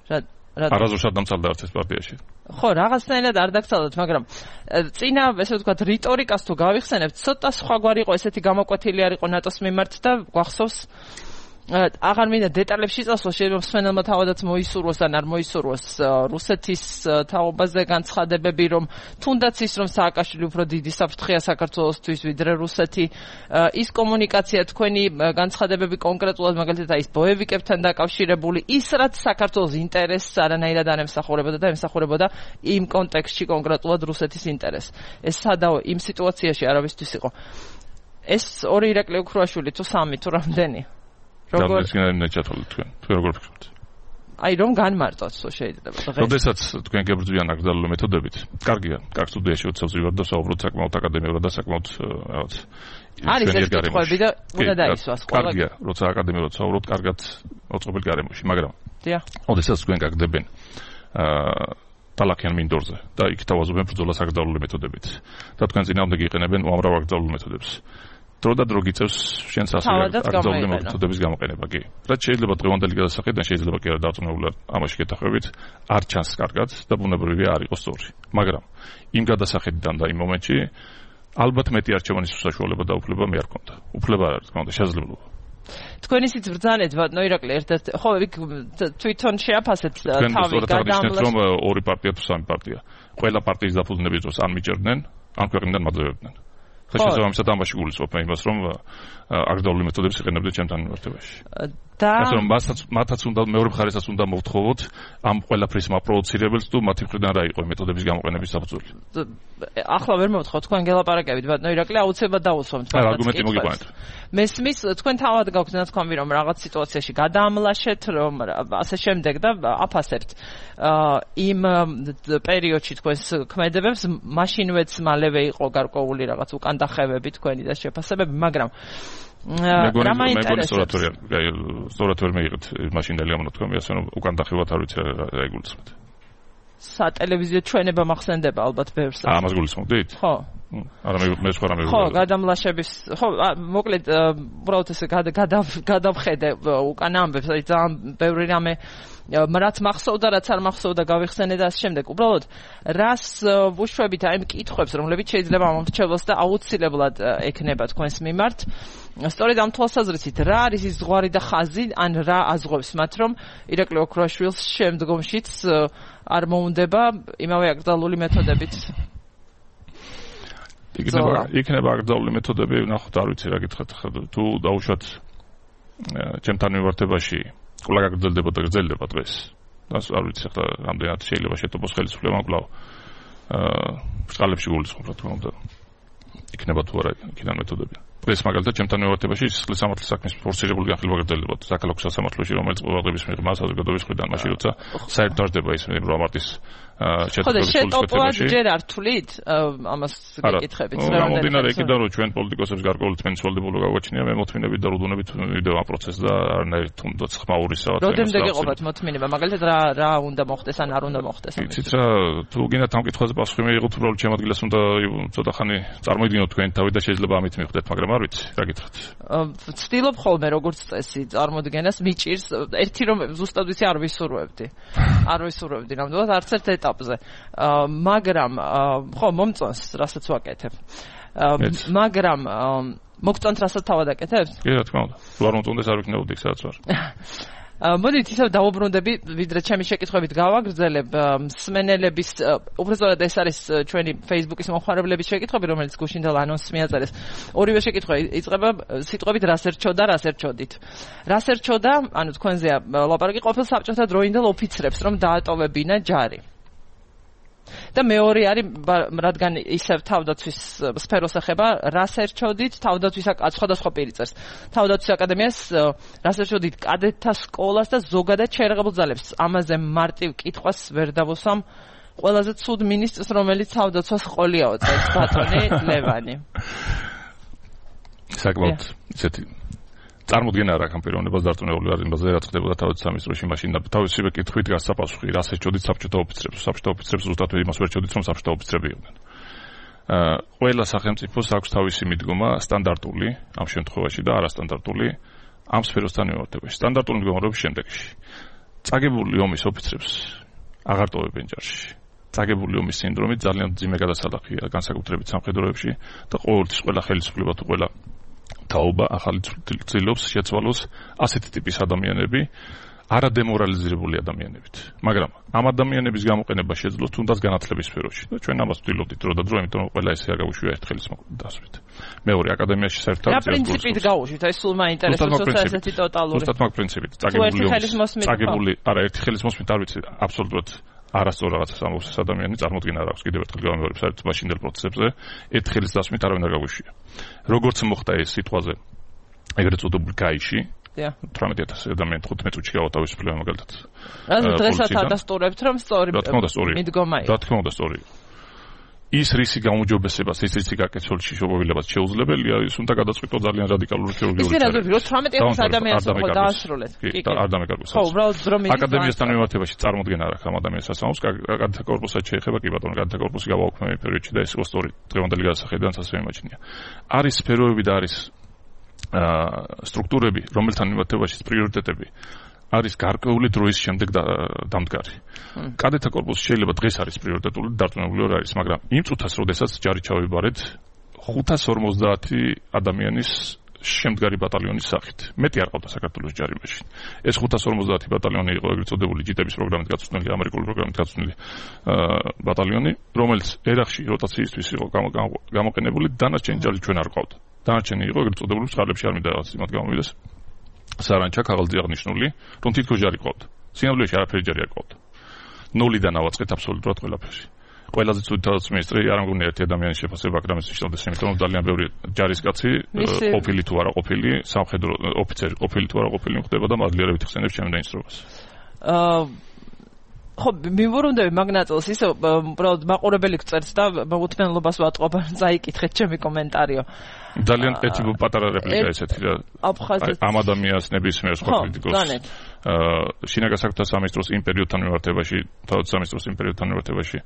რა რა არაზუსტად დამცალდა არც ეს პარტიაში. ხო, რაღაცნაირად არ დაგცალოთ, მაგრამ წინა, ესე ვთქვათ, რიტორიკას თუ გავიხსენებთ, ცოტა სხვაგვარი იყო, ესეთი გამოკვეთილი არ იყო ნატოს მიმართ და გვახსოვს აღარ მინდა დეტალებში წასვლა, შეიძლება მსმენელმა თავადაც მოისურვოს ან არ მოისურვოს რუსეთის თაობაზე განცხადებები, რომ თუნდაც ის, რომ სააკაშვილი უფრო დიდი საფრთხეა საქართველოსთვის ვიდრე რუსეთი, ის კომუნიკაცია თქვენი განცხადებები კონკრეტულად მაგალითად ის ბოევიკებთან დაკავშირებული, ის რაც საქართველოს ინტერესს არანაირად არ ემსახურებოდა და ემსახურებოდა იმ კონტექსტში კონკრეტულად რუსეთის ინტერესს. ეს სადაო იმ სიტუაციაში არავისთვის იყო. ეს ორი ირაკლი ოქრუაშვილი თუ სამი თუ რამდენი?
როგორ ნეჩათოლი თქვენ თქვენ როგორ ფიქრობთ?
აი რომ განმარტოთ შეიძლება.
როდესაც თქვენ გებრძვიან აკრძალული მეთოდებით, კარგია, კარგ სტუდიაში უცებ ვარ და საუბრობთ საკმაოდ აკადემიურად და საკმაოდ რაღაც
არის ეს კითხვები და უნდა დაისვას ყველა.
კარგია, როცა აკადემიურად საუბრობთ, კარგად მოწყობილ გარემოში, მაგრამ
დიახ.
როდესაც თქვენ გაგდებენ აა ტალახიან მინდორზე და იქ თავაზობენ ბრძოლას აკრძალული მეთოდებით და თქვენ წინააღმდეგ იყენებენ უამრავ აკრძალულ მეთოდებს. დრო და დრო გიწევს შენს ასევე აკრძალული მეთოდების გამოყენება, კი. რაც შეიძლება დღევანდელი გადასახედიდან შეიძლება კი არა დარწმუნებულად ამაში გეთახმებით, არ ჩანს კარგად და ბუნებრივია არ იყოს სწორი. მაგრამ იმ გადასახედიდან და იმ მომენტში ალბათ მეტი არჩევანის საშუალება და უფლება მე არ მქონდა. უფლება არ არის, თქონდა შესაძლებლობა.
თქვენ ისიც ბრძანეთ, ბატონო ირაკლი, ერთ-ერთ ხო იქ თვითონ შეაფასეთ თავი
გადამლას. რომ ორი პარტია თუ სამი პარტია. ყველა პარტიის დაფუძნების დროს ან მიჭერდნენ, ან ქვეყნიდან მაძლევებდნენ. შეიძლება ამისად ამაში გულისხმობ მე იმას, რომ აკრძალული მეთოდებს იყენებდნენ ჩემთან მიმართებაში. და ასე რომ მასაც მათაც უნდა მეორე მხარესაც უნდა მოვთხოვოთ ამ ყველაფრის მაპროვოცირებელს თუ მათი მხრიდან რა იყო მეთოდების გამოყენების საფუძველი.
ახლა ვერ მოვთხოვ, თქვენ გელაპარაკებით, ბატონო ირაკლი, აუცილებლად დაუსვამთ.
რა არგუმენტი მოგიყვანეთ.
მესმის, თქვენ თავად გაქვთ ნათქვამი, რომ რაღაც სიტუაციაში გადაამლაშეთ, რომ ასე შემდეგ და აფასებთ იმ პერიოდში თქვენს ქმედებებს, მაშინვეც მალევე იყო გარკვეული რაღაც უკან დახევები თქვენი და შეფასებები, მაგრამ რა მაინტერესებს?
სწორად ვერ მეიღეთ მაშინდელი ამონათქვამი, ასე რომ უკან დახევად არ ვიცი რა იგულისხმეთ.
სატელევიზიო ჩვენება მახსენდება ალბათ ბევრს.
აა, ამას გულისხმობდით?
ხო.
არა მე მე სხვა რამე.
ხო, გადამლაშების, ხო, მოკლედ უბრალოდ ესე გადავხედე უკან ამბებს, აი ძალიან ბევრი რამე რაც მახსოვდა, რაც არ მახსოვდა გავიხსენე და ასე შემდეგ. უბრალოდ რას ვუშვებით აი იმ კითხვებს, რომლებიც შეიძლება მომრჩევლოს და აუცილებლად ექნება თქვენს მიმართ. სწორედ ამ თვალსაზრისით, რა არის ის ზღვარი და ხაზი, ან რა აზღვევს მათ, რომ ირაკლი ოქრუაშვილს შემდგომშიც არ მოუნდება იმავე აკრძალული მეთოდებით?
იქნება იქნება აკრძალული მეთოდები, ნახოთ, არ ვიცი რა გითხრათ, თუ დაუშვათ ჩემთან მიმართებაში ყველა გაგრძელდება და გრძელდება დღეს. დას არ ვიცი ახლა რამდენად შეიძლება შეტყობს ხელისუფლება, მაგრამ აა სკალებში გულისხმობ რა თქმა უნდა. იქნება თუ არა იქიდან მეთოდები. დღეს მაგალითად ჩემთან მიმართებაში სისხლის სამართლის საქმის ფორსირებული განხილვა გრძელდება საქალაქო სასამართლოში, რომელიც ყოველდღიების მიღება საზოგადოების მხრიდან მაშინ როცა საერთოდ არდება ის რომ მარტის
შეტყობის სულისკვეთებაში. ჯერ არ თვლით ამას გეკითხებით რა უნდა
მომდინარე იქიდან რომ ჩვენ პოლიტიკოსებს გარკვეული თმენის ვალდებულება გაგვაჩნია, მე მოთმინებით და რუდუნებით ვიდეო ამ პროცესს და არანაირ თუნდაც ხმაურისაა.
რამდენიმდე გეყოფათ მოთმინება, მაგალითად რა რა უნდა მოხდეს ან არ უნდა მოხდეს?
იცით რა, თუ გინდათ ამ კითხვაზე პასუხი მიიღოთ, უბრალოდ ჩემ ადგილას უნდა ცოტა ხანი წარმოიდგინოთ თქვენი თავი და შეიძლება ამით მივხვდეთ, მაგრამ არ ვიცი, რა გითხრათ.
ვცდილობ ხოლმე როგორც წესი წარმოდგენას მიჭირს, ერთი რომ ზუსტად ვიცი არ ვისურვებდი. არ ვისურვებდი ნამდვილად არც ერთ ეტაპზე. მაგრამ ხო მომწონს, რასაც ვაკეთებ. მაგრამ მოგწონთ რასაც თავად აკეთებ?
კი, რა თქმა უნდა. თუ არ მომწონდეს არ ვიქნებოდი, სადაც ვარ.
მოდით ისევ დავუბრუნდები, ვიდრე ჩემი შეკითხვებით გავაგრძელებ მსმენელების, უბრალოდ ეს არის ჩვენი Facebook-ის მომხმარებლების შეკითხვები, რომელიც გუშინდელ ანონსს მიაწერეს. ორივე შეკითხვა იწყება სიტყვებით რას ერჩოდა, რას ერჩოდით. რას ერჩოდა, ანუ თქვენზეა ლაპარაკი ყოფილ საბჭოთა დროინდელ ოფიცრებს, რომ დაატოვებინა ჯარი. და მეორე არის, რადგან ისევ თავდაცვის სფეროს ეხება, რას ერჩოდით თავდაცვის სხვადასხვა პირიწers. თავდაცვის აკადემიას რას ერჩოდით კადეტთა სკოლას და ზოგადად შეერაღებულ ძალებს. ამაზე მარტივ კითხვას ვერ დავუსვამ ყველაზე ცუდ მინისტრს, რომელიც თავდაცვას ყოლიაო წელს, ბატონი ლევანი.
საკმაოდ ისეთი წარმოდგენა არ აქვს ამ პიროვნებას დარწმუნებული ვარ იმაზე, რაც ხდებოდა თავდაცვის სამინისტროში მაშინ და თავისივე კითხვით გასაპასუხი, რას ერჩოდით საბჭოთა ოფიცრებს. საბჭოთა ოფიცრებს ზუსტად იმას ვერ ერჩოდით, რომ საბჭოთა ოფიცრები იყვნენ. აა ყველა სახელმწიფოს აქვს თავისი მიდგომა სტანდარტული ამ შემთხვევაში და არასტანდარტული ამ სფეროსთან მიმართებაში. სტანდარტული მიდგომა რობის შემდეგში. წაგებული ომის ოფიცრებს აღარ ტოვებენ ჯარში. წაგებული ომის სინდრომი ძალიან ძიმე გადასალახია განსაკუთრებით სამხედროებში და ყოველთვის ყველა ხელისუფლება თუ ყველა თაობა ახალი ცდილობს შეცვალოს ასეთი ტიპის ადამიანები არადემორალიზებული ადამიანებით. მაგრამ ამ ადამიანების გამოყენება შეძლოს თუნდაც განათლების სფეროში და ჩვენ ამას ვთვლით დრო და დრო, იმიტომ რომ ყველა ესე არ გაუშვია ერთ ხელის დასვით. მეორე აკადემიაში საერთოდ
რა პრინციპით გაუშვით? აი სულ მაინტერესებს ესეთი ტოტალური.
უბრალოდ მაგ პრინციპით. წაგებული წაგებული არა ერთი ხელის მოსმით არ ვიცი აბსოლუტურად არასწორ რაღაცას ამბობს ეს ადამიანი, წარმოდგენა არ აქვს კიდევ ერთხელ გამეორებ საერთოდ მაშინდელ პროცესებზე ერთ ხელის დასვით არავინ არ გაუშვია. როგორც მოხდა ეს სიტყვაზე ეგრეთ წოდებული გაიში თვრამეტი ათასი ადამიანი თხუთმეტ წუთში გავათავისუფლება მაგალითად.
რა დღესაც ადასტურებთ რომ სწორი მიდგომა იყო.
რა თქმა უნდა სწორი. ის რისი გამოუჯობესებას, ის რისი გაკეთებული შეუძლებლობას შეუძლებელია, ის უნდა გადაწყვიტო ძალიან რადიკალური ქირურგიული
წარება. ის რა თვრამეტი ათასი ადამიანს ხო დაასრულეთ.
კი, არ დამეკარგოს.
ხო, უბრალოდ დრო მიდის.
აკადემიასთან მიმართებაში წარმოდგენა არ აქვს ამ ადამიანს ასამოს, განთა კორპუსად შეეხება კი ბატონო, განთა კორპუსი გავაუქმე პერიოდში და ეს იყო სწორი დღევანდელი გადასახედიდან ასე მიმაჩნია. არის სფეროები და არის სტრუქტურები, რომელთან მიმართებაში პრიორიტეტები არის გარკვეული დროის შემდეგ დამდგარი. კადეტთა კორპუსი შეიძლება დღეს არის პრიორიტეტული, დარწმუნებული ვარ არის, მაგრამ იმ წუთას, როდესაც ჯარი ჩავიბარეთ ხუთას ორმოცდაათი ადამიანის შემდგარი ბატალიონის სახით. მეტი არ ყავდა საქართველოს ჯარი მაშინ. ეს ხუთას ორმოცდაათი ბატალიონი იყო ეგრეთ წოდებული ჯიტების პროგრამით გაწვრთნილი, ამერიკული პროგრამით გაწვრთნილი ბატალიონი, რომელიც ერახში როტაციისთვის იყო გამოყენებული, დანარჩენი ჯარი ჩვენ არ ყავდა. დანარჩენი იყო ეგრეთ წოდებული წყარლებში არ მინდა რაღაც იმათ გამომიდეს. სარანჩა ქაღალდზე აღნიშნული, რომ თითქოს ჯარი ყავდა. სინამდვილეში არაფერი ჯარი არ ყავდა. ნულიდან ავაწყეთ აბსოლუტურად ყველაფერში. ყველაზე ცუდი თავდაცვის მინისტრი არ მგონია ერთი ადამიანის შეფასება აქ რამეს ნიშნავდეს, იმიტომ რომ ძალიან ბევრი ჯარისკაცი ყოფილი თუ არა ყოფილი, სამხედრო ოფიცერი ყოფილი თუ არა ყოფილი მხდება და მადლიერებით ხსენებს ჩემს დაინსტრუქციას. აა ხო,
მივურუნდები მაგ ნაწილს, ისე უბრალოდ მაყურებელი გწერს და მოუთმენლობას ვატყობ, წაიკითხეთ ჩემი კომენტარიო.
ძალიან ერთი პატარა რეპლიკა ესეთი რა. ამ ადამიანს ნებისმიერ სხვა კრიტიკოს. აა შინაგან საქმეთა სამინისტროს იმ პერიოდთან მიმართებაში, თავად სამინისტროს იმ პერიოდთან მიმართებაში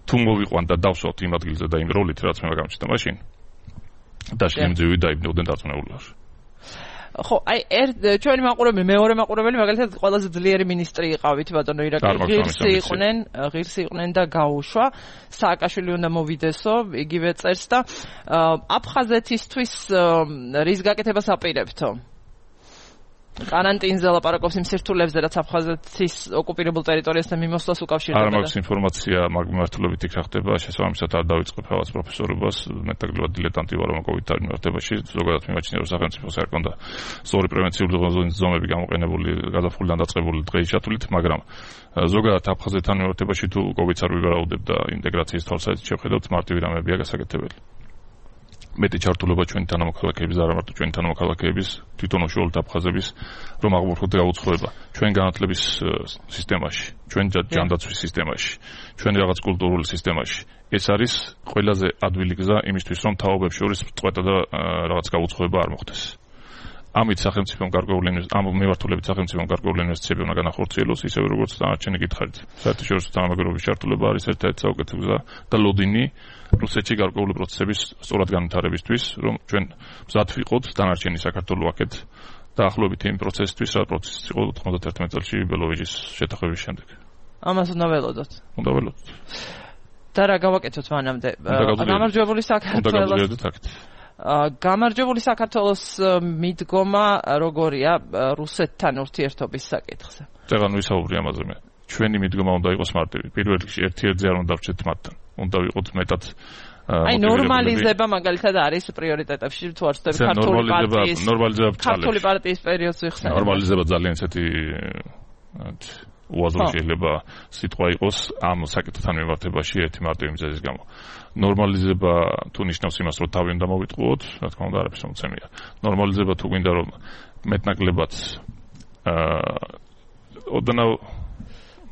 თუ მოვიყვან და დავსვათ იმ ადგილზე და იმ როლით რაც მე გამჩნდა მაშინ და შემძივი დაიბნეოდნენ დარწმუნებულად.
ხო, აი ერთ ჩვენი მაყურებელი, მეორე მაყურებელი მაგალითად ყველაზე ძლიერი ministri იყავით ბატონო ირაკი, ღირსი იყვნენ, ღირსი იყვნენ და გაუშვა. სააკაშვილი უნდა მოვიდესო, იგივე წერს და აფხაზეთისთვის რის გაკეთებას აპირებთო? კარანტინზე ლაპარაკობს იმ სირთულეებზე, რაც აფხაზეთის ოკუპირებულ ტერიტორიასთან მიმოსვლას უკავშირდება.
არ მაქვს ინფორმაცია მაგ მიმართულებით იქ რა ხდება, შესაბამისად არ დავიწყებ რაღაც პროფესორობას, მეტად დილეტანტი ვარ ამ კოვიდთან მიმართებაში, ზოგადად მიმაჩნია რომ სახელმწიფოს არ კონდა სწორი პრევენციული ზომები გამოყენებული, გადაფხულიდან დაწყებული დღეისათვის, მაგრამ ზოგადად აფხაზეთთან მიმართებაში თუ კოვიდს არ ვივარაუდებ და ინტეგრაციის თვალსაზრისით შევხედავთ, მარტივი რამებია გასაკეთებელი. მეტი ჩართულობა ჩვენი თანამოქალაქეების და არა მარტო ჩვენი თანამოქალაქეების, თვითონ უშუალოდ აფხაზების, რომ აღმოფხვროთ გაუცხოება ჩვენ განათლების სისტემაში, ჩვენ ჯანდაცვის სისტემაში, ჩვენ რაღაც კულტურულ სისტემაში. ეს არის ყველაზე ადვილი გზა იმისთვის, რომ თაობებს შორის წყვეტა და რაღაც გაუცხოება არ მოხდეს. ამით სახელმწიფომ გარკვეული ამ მიმართულებით სახელმწიფომ გარკვეული ინვესტიციები უნდა განახორციელოს, ისევე როგორც დანარჩენი გითხარით. საერთაშორისო თანამეგობრობის ჩართულობა არის ერთ-ერთი საუკეთესო გზა და ლოდინი რუსეთში გარკვეული პროცესების სწორად განვითარებისთვის, რომ ჩვენ მზად ვიყოთ დანარჩენი საქართველო აქეთ დაახლოებით იმ პროცესისთვის, რა პროცესი იყო ოთხმოცდაერთმეტ წელს ბელოვიჩის შეთანხმების შემდეგ.
ამას უნდა ველოდოთ.
უნდა ველოდოთ.
და რა გავაკეთოთ მანამდე? გამარჯვებული საქართველოს. გამარჯვებული საქართველოს მიდგომა როგორია რუსეთთან ურთიერთობის საკითხზე?
წეგან ვისაუბრი ამაზე მე. ჩვენი მიდგომა უნდა იყოს მარტივი. პირველ რიგში ერთ-ერთზე არ უნდა ვჭეთ მათთან. უნდა ვიყოთ მეტად
აი ნორმალიზება მაგალითად არის პრიორიტეტებში თუ არ ვცდები ქართული პარტიის
ნორმალიზება
ქართული პარტიის პერიოდს ვიხსენებ.
ნორმალიზება ძალიან ისეთი უაზრო შეიძლება სიტყვა იყოს ამ საკითხთან მიმართებაში ერთი მარტივი მიზეზის გამო. ნორმალიზება თუ ნიშნავს იმას, რომ თავი უნდა მოვიტყუოთ, რა თქმა უნდა არაფერს მომცემია. ნორმალიზება თუ გვინდა რომ მეტნაკლებად აა ოდნავ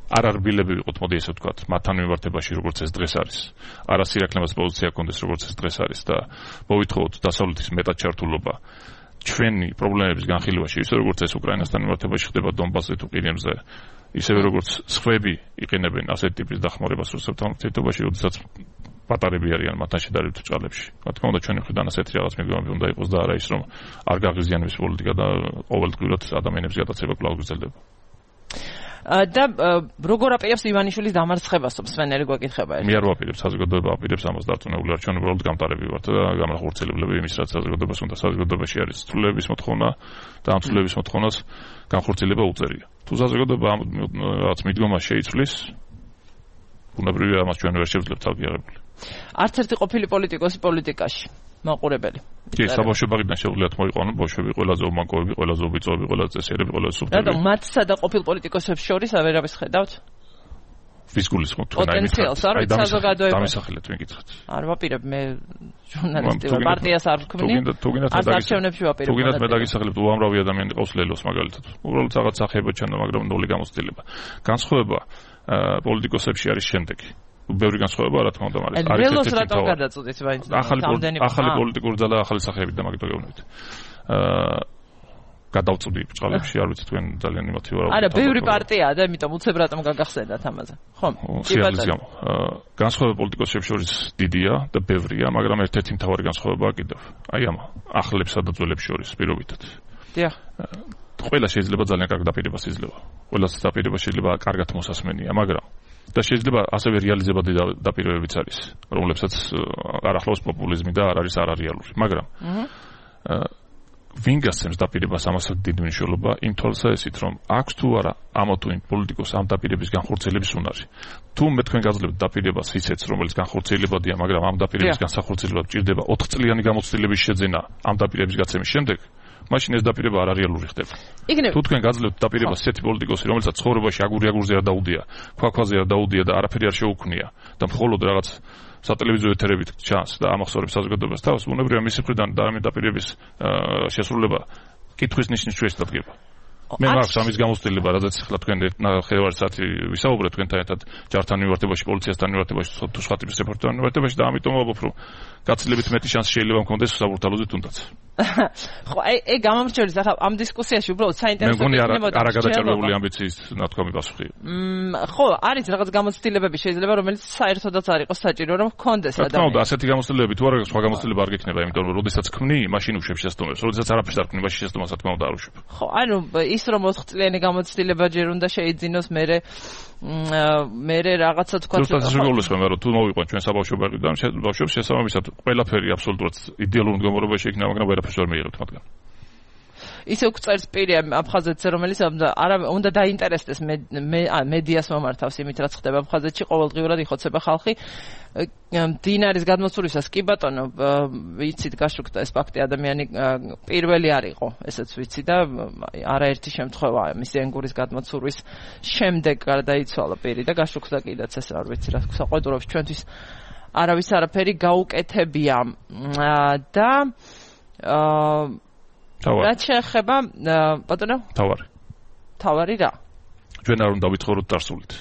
არ არბილები ვიყოთ, მოდი ესე ვთქვათ, მათთან მიმართებაში როგორც ეს დღეს არის. არა სირაქლემას პოზიცია კონდეს როგორც ეს დღეს არის და მოვითხოვოთ დასავლეთის მეტად ჩართულობა ჩვენი პრობლემების განხილვაში, ისე როგორც ეს უკრაინასთან მიმართებაში ხდება დონბასზე თუ ყირიმზე, ისევე როგორც სხვები იყენებენ ასეთ ტიპის დახმარებას რუსეთთან ურთიერთობაში, როდესაც პატარები არიან მათთან შედარებით ჭალებში. რა თქმა უნდა, ჩვენი მხრიდან ასეთი რაღაც მიდგომები უნდა იყოს და არა ის, რომ არ გაღიზიანების პოლიტიკა და ყოველდღიურად ადამიანების გადაცემა კვლავ გრძელდება.
და როგორ აპირებს ივანიშვილის დამარცხებას მსმენელი გვეკითხება ერთი.
მე არ ვაპირებ საზოგადოება აპირებს ამას დარწმუნებული არ ჩვენ უბრალოდ გამტარები ვართ და გამახორციელებლები იმის რაც საზოგადოებას უნდა საზოგადოებაში არის ცვლილების მოთხოვნა და ამ ცვლილების მოთხოვნას განხორციელება უწევია. თუ საზოგადოება ამ რაც მიდგომას შეიცვლის ბუნებრივია ამას ჩვენ ვერ შევძლებთ აღიარებული.
არც ერთი ყოფილი პოლიტიკოსი პოლიტიკაში მაყურებელი.
კი, საბავშვო ბაღიდან შეუძლიათ მოიყვანონ ბავშვები, ყველაზე უმანკოები, ყველაზე უბიწოები, ყველაზე წესიერები, ყველაზე სუფთები.
რატომ მათსა და ყოფილ პოლიტიკოსებს შორის ავერავის ხედავთ?
ვის გულისხმობთ თქვენ
აი პოტენციალს არ ვიცი საზოგადოება.
დამისახილეთ მეკითხეთ.
არ ვაპირებ მე ჟურნალისტი ვარ, პარტიას არ ვქმნი.
თუ გინდათ
არც არჩევნებში ვაპირებ.
თუ გინდათ მე დაგისახელებთ უამრავი ადამიანი ყავს ლელოს მაგალითად. უბრალოდ რაღაც სახეება ჩანდა, მაგრამ ნული გამოცდილება. განსხვავება პოლიტიკოსებში არის შემდეგი. ბევრი განსხვავება რა თქმა უნდა არის.
არის ლელოს რატომ გადაწყვეტით მაინც
ახალი ახალი პოლიტიკური ძალა ახალი სახეებით და მაგით გეუბნებით. აა გადავწვდი ბჭყალებში, არ ვიცი თქვენ ძალიან იმათი ვარ.
არა, ბევრი პარტიაა და იმიტომ უცებ რატომ გაგახსენდათ ამაზე. ხო?
სიარულის გამო. განსხვავება პოლიტიკოსებს შორის დიდია და ბევრია, მაგრამ ერთ-ერთი მთავარი განსხვავებაა კიდევ. აი ამ ახლებსა და ძველებს შორის პირობითად.
დიახ.
ყველა შეიძლება ძალიან კარგ დაპირებას იძლევა. ყველას დაპირება შეიძლება კარგად მოსასმენია, მაგრამ და შეიძლება ასევე რეალიზებადი დაპირებებიც არის, რომლებსაც არ ახლავს პოპულიზმი და არ არის არარეალური, მაგრამ ვინ გასცემს დაპირებას ამასაც დიდი მნიშვნელობა იმ თვალსაზრისით, რომ აქვს თუ არა ამა თუ იმ პოლიტიკოს ამ დაპირების განხორციელების უნარი. თუ მე თქვენ გაძლევთ დაპირებას ისეც, რომელიც განხორციელებადია, მაგრამ ამ დაპირების განსახორციელებლად ჭირდება ოთხ წლიანი გამოცდილების შეძენა ამ დაპირების გაცემის შემდეგ, მაშინ ეს დაპირება არარეალური ხდება. თუ თქვენ გაძლევთ დაპირებას ესეთი პოლიტიკოსი, რომელსაც ცხოვრებაში აგური-აგურზე არ დაუდია, ქვაქვაზე არ დაუდია და არაფერი არ შეუქმნია და მხოლოდ რაღაც სატელევიზიო ეთერებით ჩანს და ამახსოვრებს საზოგადოებას თავს, ბუნებრივია მისი მხრიდან და ამ დაპირების შესრულება კითხვის ნიშნის ჩვენს დადგება. მე მაქვს ამის გამოცდილება, რადგან ახლა თქვენ ნახევარი საათი ვისაუბრეთ თქვენთან ერთად ჯართან მიმართებაში, პოლიციასთან მიმართებაში, თუ სხვა ტიპის რეპორტერთან მიმართებაში და ამიტომ ვაბობ, რომ გაცილებით მეტი შანსი შეიძლება მქონდეს საბურთალოზე თუნდაც.
ხო, აი, აი გამომრჩევის ახლა ამ დისკუსიაში უბრალოდ საინტერესო
მე მგონი არა გადაჭარბებული ამბიციის ნათქვამი პასუხი.
მმ, ხო, არის რაღაც გამოცდილებები შეიძლება, რომელიც საერთოდაც არ იყოს საჭირო, რომ ჰქონდეს
ადამიანს. რა თქმა უნდა, ასეთი გამოცდილებები თუ არა, სხვა გამოცდილება არ გექნება, იმიტომ რომ როდესაც ქმნი, მაშინ უშვებ შესტომებს, როდესაც არაფერს არ ქმნი, მაშინ შესტომას რა თქმა უნდა არ უშვებ.
ხო, ანუ ის რომ ოთხ წლიანი გამოცდილება ჯერ უნდა შეიძინოს, მერე მერე რაღაცა თქვა.
ზუსტად ისე გულისხმობ, რომ თუ მოვიყვან ჩვენ საბავშვო ბაღიდან, ბავშვებს შესაბამისად ყველაფერი აბსოლუტურად იდეალურ მდგომარეობაში იქნება, მაგრამ ვერაფერს ვერ მიიღებთ მათგან.
ისე უწერს პირი აფხაზეთზე, რომელიც არა უნდა დაინტერესდეს მედიას მომართავს იმით, რაც ხდება აფხაზეთში, ყოველდღიურად იხოცება ხალხი. დინარის გადმოცულისას კი ბატონო, ვიცით გაშუქდა ეს ფაქტი, ადამიანი პირველი არ იყო, ესეც ვიცი და არაერთი შემთხვევა მისი ენგურის გადმოცურვის შემდეგ გარდაიცვალა პირი და გაშუქდა კიდეც ეს არ ვიცი რა საყვედურობს ჩვენთვის არავის არაფერი გაუკეთებია და რა შეეხება ბატონო?
თავარი.
თავარი რა?
ჩვენ არ უნდა ვიცხოვროთ წარსულით.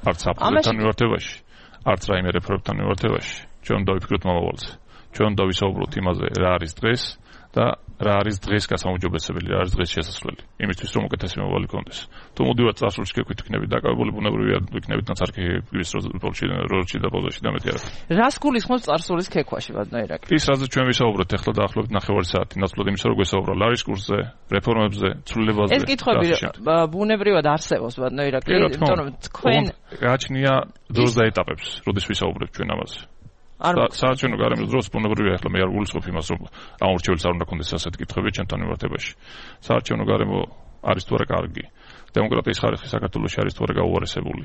არც აფხაზეთთან მიმართებაში, არც რაიმე რეფორმებთან მიმართებაში. ჩვენ უნდა ვიფიქროთ მომავალზე. ჩვენ უნდა ვისაუბროთ იმაზე, რა არის დღეს და რა არის დღეს გასაუმჯობესებელი, რა არის დღეს შესაძლებელი. იმისთვის რომ უკეთესი მომავალი გქონდეს. თუ მოდივართ წარსულში გეკვით იქნებით დაკავებული, ბუნებრივია იქნებით ნაცარქი გვის როლში როლში და პოზაში და მეტი არა.
რას გულისხმობს წარსულის ქექვაში ბატონო ირაკლი?
ის რაც ჩვენ ვისაუბროთ ახლა დაახლოებით ნახევარი საათი, ნაცვლად იმისა რომ გვესაუბრა ლარის კურსზე, რეფორმებზე, ცვლილებაზე.
ეს კითხვები ბუნებრივად არსებობს ბატონო ირაკლი, იმიტომ რომ თქვენ
გააჩნია დროს და ეტაპებს, როდის ვისაუბრებთ ჩვენ ამაზე. საარჩევნო გარემოს დროს ბუნებრივია ახლა მე არ გულისხმობ იმას, რომ ამ ორჩეულს არ უნდა ქონდეს ასეთი კითხვები ჩვენთან მიმართებაში. საარჩევნო გარემო არის თუ არა კარგი? დემოკრატიის ხარისხი საქართველოში არის თუ არა გაუარესებული?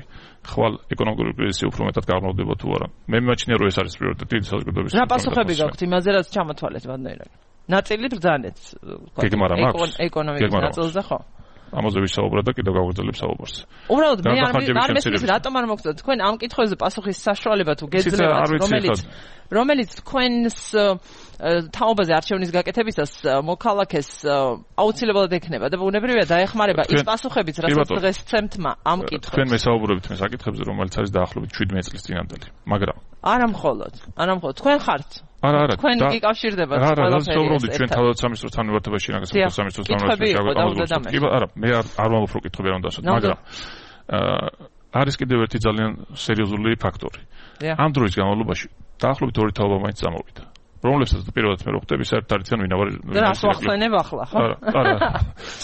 ხვალ ეკონომიკური კრიზისი უფრო მეტად გაღრმავდება თუ არა? მე მიმაჩნია რომ ეს არის პრიორიტეტი საზოგადოების.
რა პასუხები გაქვთ იმაზე, რაც ჩამოთვალეთ ბატონო ირაკლი? ნაწილი ბრძანეთ. ეკონომიკის ნაწილზე ხო? ამაზე ვისაუბრა და კიდევ გავაგრძელებ საუბარს. უბრალოდ მე არ მესმის რატომ არ მოგწოდეთ თქვენ ამ კითხვებზე პასუხის საშუალება თუ გეძლევათ, რომელიც რომელიც თქვენს თაობაზე არჩევნის გაკეთებისას მოქალაქეს აუცილებლად ექნება და ბუნებრივია დაეხმარება ის პასუხებიც, რასაც დღეს სცემთ ამ კითხვებს.
თქვენ მესაუბრებით მე საკითხებზე, რომელიც არის დაახლოებით შვიდმეტ წლის წინანდელი, მაგრამ
არა მხოლოდ, არა მხოლოდ თქვენ ხართ
არა არა
თქვენ გიკავშირდებათ
ყველაფერი. არა, საუბრობთ ჩვენ თავდაცვის თანმიმართებაში, რაგაც სამინისტროს თანმიმართებაში
აღარ
კი არა, მე არ ვამბობ რომ კითხვები არ უნდა ასოთ, მაგრამ არის კიდევ ერთი ძალიან სერიოზული ფაქტორი. ამ დროის განმავლობაში დაახლოებით ორი თაობა მაინც წამოვიდა. რომლებსაც პირველად მე ვხვდები, საერთოდ არ იციან ვინ არის.
რას ვახსენებ ახლა, ხო?
არა,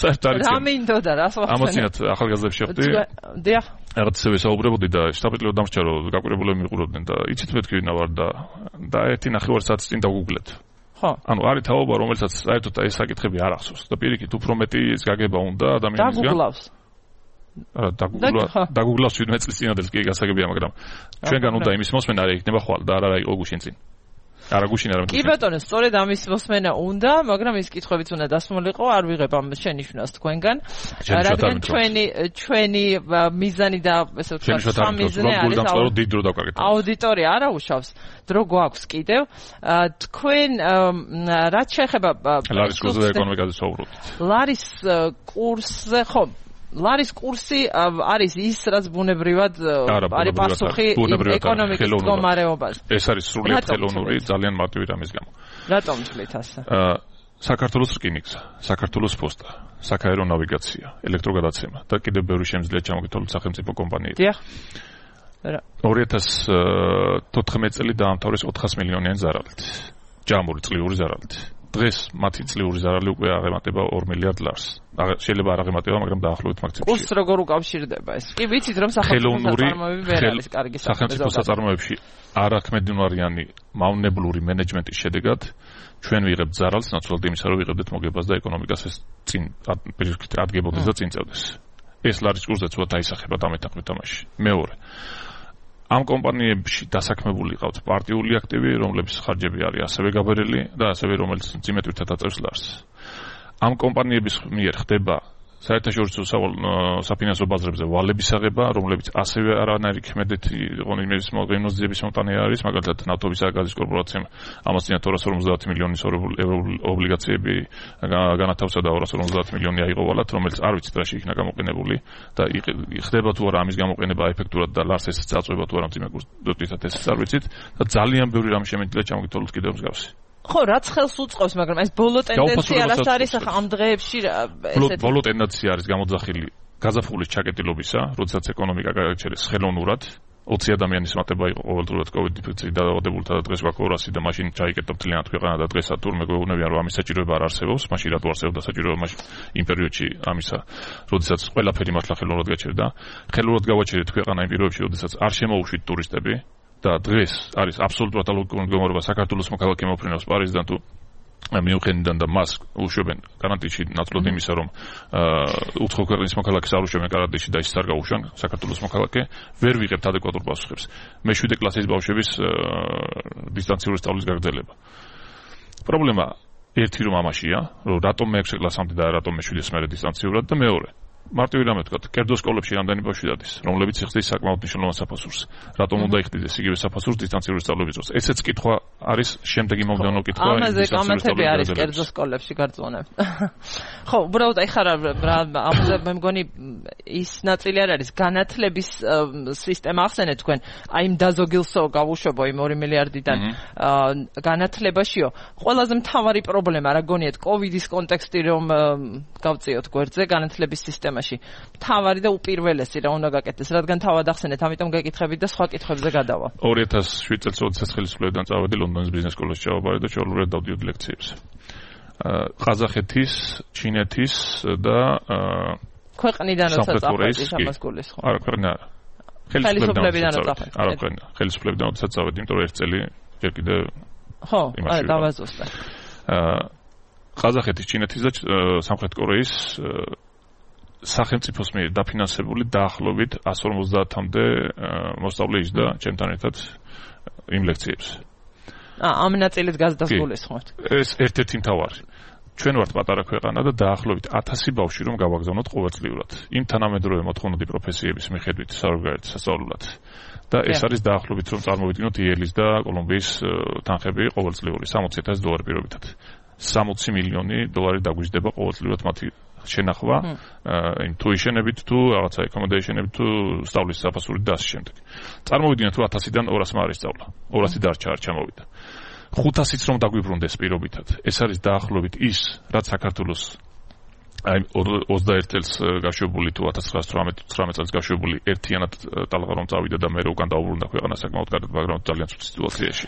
საერთოდ არ იციან.
რა მინდოდა, რას ვახსენებ?
ამოცინათ ახალგაზრდებს შეხვდი.
დიახ.
რაღაცებია საუბრობდი და შტაბ-პატიო დამრჩა რომ გაკვირებულები მიყურებდნენ და იცით მეთქი ვინ ვარ და და ერთი ნახევარ საათის წინ დაგუგლეთ.
ხო.
ანუ არის თაობა, რომელსაც საერთოდ ეს საკითხები არ ახსოვს და პირიქით უფრო მეტი ის გაგება უნდა ადამიანისგან.
დაგუგლავს.
არა, დაგუგლა, დაგუგლავს ვინმე წლის წინადელს კი გასაგებია, მაგრამ ჩვენგან უნდა იმის მოსმენა არ იქნება ხვალ და არა იყო გუშინ წინ. არა გუშინ არა.
კი ბატონო, სწორედ ამის მოსმენა უნდა, მაგრამ ის კითხვებიც უნდა დასმულიყო, არ ვიღებ ამ შენიშვნას თქვენგან. რადგან ჩვენი ჩვენი მიზანი და ესე ვთქვათ, სამიზნე არის
დიდ დრო დავკარგეთ.
აუდიტორია არა უშავს, დრო გვაქვს კიდევ. თქვენ რაც შეეხება
ლარის კურსზე ეკონომიკაზე საუბრობთ.
ლარის კურსზე ხო ლარის კურსი არის ის, რაც ბუნებრივად არის პასუხი ეკონომიკის მდგომარეობას.
ეს არის სრულიად ხელოვნური, ძალიან მარტივი რამის გამო.
რატომ თვლით ასე?
საქართველოს რკინიგზა, საქართველოს პოსტა, საქაერო ნავიგაცია, ელექტროგადაცემა და კიდევ ბევრი შემიძლია ჩამოგითვალოთ სახელმწიფო კომპანიები.
დიახ.
ორი ათას თოთხმეტი წელი დაამთავრეს ოთხას მილიონიანი ზარალით. ჯამური წლიური ზარალით. დღეს მათი წლიური ზარალი უკვე აღემატება ორ მილიარდ ლარს. შეიძლება არ აღემატება, მაგრამ დაახლოებით მაქსიმუმში.
კურსს როგორ უკავშირდება ეს? კი ვიცით რომ სახელმწიფო საწარმოები ვერ არის კარგი
სახელმწიფო საწარმოებში არაქმედინარიანი მავნებლური მენეჯმენტის შედეგად ჩვენ ვიღებთ ზარალს ნაცვლად იმისა, რომ ვიღებდეთ მოგებას და ეკონომიკას ეს წინ პირიქით ადგებოდეს და წინ წევდეს. ეს ლარის კურსზე ცოტა დაისახება დამეთანხმებით თამაში. მეორე ამ კომპანიებში დასაქმებული ყავთ პარტიული აქტივი, რომლების ხარჯები არის ასევე გაბერილი და ასევე რომელიც ძიმეთვირთად აწევს ლარს. ამ კომპანიების მიერ ხდება საერთაშორისო საფინანსო ბაზრებზე ვალების აღება, რომლებიც ასევე არანაირი ქმედეთი ღონისძიების მოძიების მომტანი არის, მაგალითად ნავთობის და გაზის კორპორაციამ ამასწინათ ორას ორმოცდაათი მილიონის ობლიგაციები განათავსა და ორას ორმოცდაათი მილიონი აიღო ვალად, რომელიც არ ვიცით რაში იქნა გამოყენებული და ხდება თუ არა ამის გამოყენება ეფექტურად და ლარს ეს წაწვება თუ არა მძიმე კურსით ეს არ ვიცით და ძალიან ბევრი რამ შემიძლია ჩამოგითვალოთ კიდევ მსგავსი.
ხო, რაც ხელს უწყობს, მაგრამ ეს ბოლო ტენდენცია რაც არის ახლა ამ დღეებში
ესეთი ბოლო ტენდენცია არის გამოძახილი გაზაფხულის ჩაკეტილობისა, როდესაც ეკონომიკა გაიჩერეს ხელოვნურად, ოცი ადამიანის მატება იყო ყოველდღურად კოვიდ ინფექციით დაავადებულთა და დღეს გვაქვს ორასი და მაშინ ჩაიკეტა მთლიანად ქვეყანა და დღესაც თურმე გვეუბნებიან რომ ამის საჭიროება არ არსებობს, მაშინ რატო არსებობდა საჭიროება მაშინ იმ პერიოდში ამისა, როდესაც ყველაფერი მართლა ხელოვნურად გაჩერდა. ხელოვნურად გავაჩერეთ ქვეყანა იმ პირობებში, როდესაც არ შემოუშვით ტურისტები. და დღეს არის აბსოლუტურად ალოგიკური მდგომარეობა საქართველოს მოქალაქე მოფრინავს პარიზიდან თუ მიუნხენიდან და მას უშვებენ კარანტინში ნაცვლად იმისა რომ უცხო ქვეყნის მოქალაქეს არ უშვებენ კარანტინში და ის არ გაუშვან საქართველოს მოქალაქე ვერ ვიღებთ ადეკვატურ პასუხებს. მეშვიდე კლასის ბავშვების დისტანციური სწავლის გაგრძელება. პრობლემა ერთი რომ ამაშია, რომ რატომ მეექვსე კლასამდე და რატომ მეშვიდეს მერე დისტანციურად და მეორე მარტივი რამე თქვა, კერძო სკოლებში რამდენი ბავშვი დადის, რომლებიც იხდის საკმაოდ მნიშვნელოვან საფასურს. რატომ უნდა იხდეს იგივე საფასურს დისტანციური სწავლების დროს? ესეც კითხვა არის, შემდეგი მომდევნო კითხვა.
ამაზე კომენტები არის კერძო სკოლებში გარწმუნებ. ხო, უბრალოდ აი ხარ ამაზე მე მგონი ის ნაწილი არ არის განათლების სისტემა ახსენეთ თქვენ, აი იმ დაზოგილსო გავუშვებო იმ ორი მილიარდიდან განათლებაშიო. ყველაზე მთავარი პრობლემა რა გონიათ კოვიდის კონტექსტი რომ გავწიოთ გვერდზე განათლების სისტემაში. მთავარი და უპირველესი რა უნდა გაკეთდეს, რადგან თავად ახსენეთ, ამიტომ გეკითხებით და სხვა კითხვებზე გადავა.
ორი ათას შვიდ წელს როდესაც ხელისუფლებიდან წავედი ლონდონის ბიზნეს სკოლაში ჩავაბარე და ჩაოლურად დავდიოდი ლექციებს. ყაზახეთის, ჩინეთის და
ქვეყნიდან როცა წავედი ამას გულის ხო?
არა, ქვეყნა არა. ხელისუფლებიდან წავედი. არა, ქვეყნა. ხელისუფლებიდან როდესაც წავედი, იმიტომ რომ ერთ წელი ჯერ კიდე
ხო, არა, დავაზუსტე.
ყაზახეთის, ჩინეთის და სამხრეთ კორეის სახელმწიფოს მიერ დაფინანსებული დაახლოებით εκατს ორმოცდაათამდე მოსწავლე ისდა ჩემთან ერთად იმ ლექციებს.
აა ამ ნაწილით გასდასრულეს ხომ?
ეს ერთ-ერთი მთავარი. ჩვენ ვართ პატარა ქვეყანა და დაახლოებით ათასი ბავშვი რომ გავაგზავნოთ ყოველწლიურად. იმ თანამედროვე მოთხოვნადი პროფესიების მიხედვით საზღვარგარეთ სასწავლებლად. და ეს არის დაახლოებით რომ წარმოვიდგინოთ იელის და კოლუმბიის თანხები ყოველწლიური სამოცი ათასი დოლარი პირობითად. სამოცი მილიონი დოლარი დაგვიждდება ყოველწლიურად მათი შენახვა, იმ თუ იშენებით თუ რაღაცა ეკომოდეიშენებით თუ სწავლის საფასურით და ასე შემდეგ. წარმოვიდგინოთ რომ ათასიდან ორასმა არის სწავლა. ორასი დარჩა არ ჩამოვიდა. ხუთასიც რომ დაგვიბრუნდეს პირობითად. ეს არის დაახლოებით ის, რაც საქართველოს აი ოცდაერთ წელს გაშვებული თუ ათას ცხრაასი ცხრამეტ წელს გაშვებული ერთიანად ტალღა რომ წავიდა და მე უკან დაუბრუნდა ქვეყანა საკმაოდ კარგად, მაგრამ ძალიან ცუდ სიტუაციაში.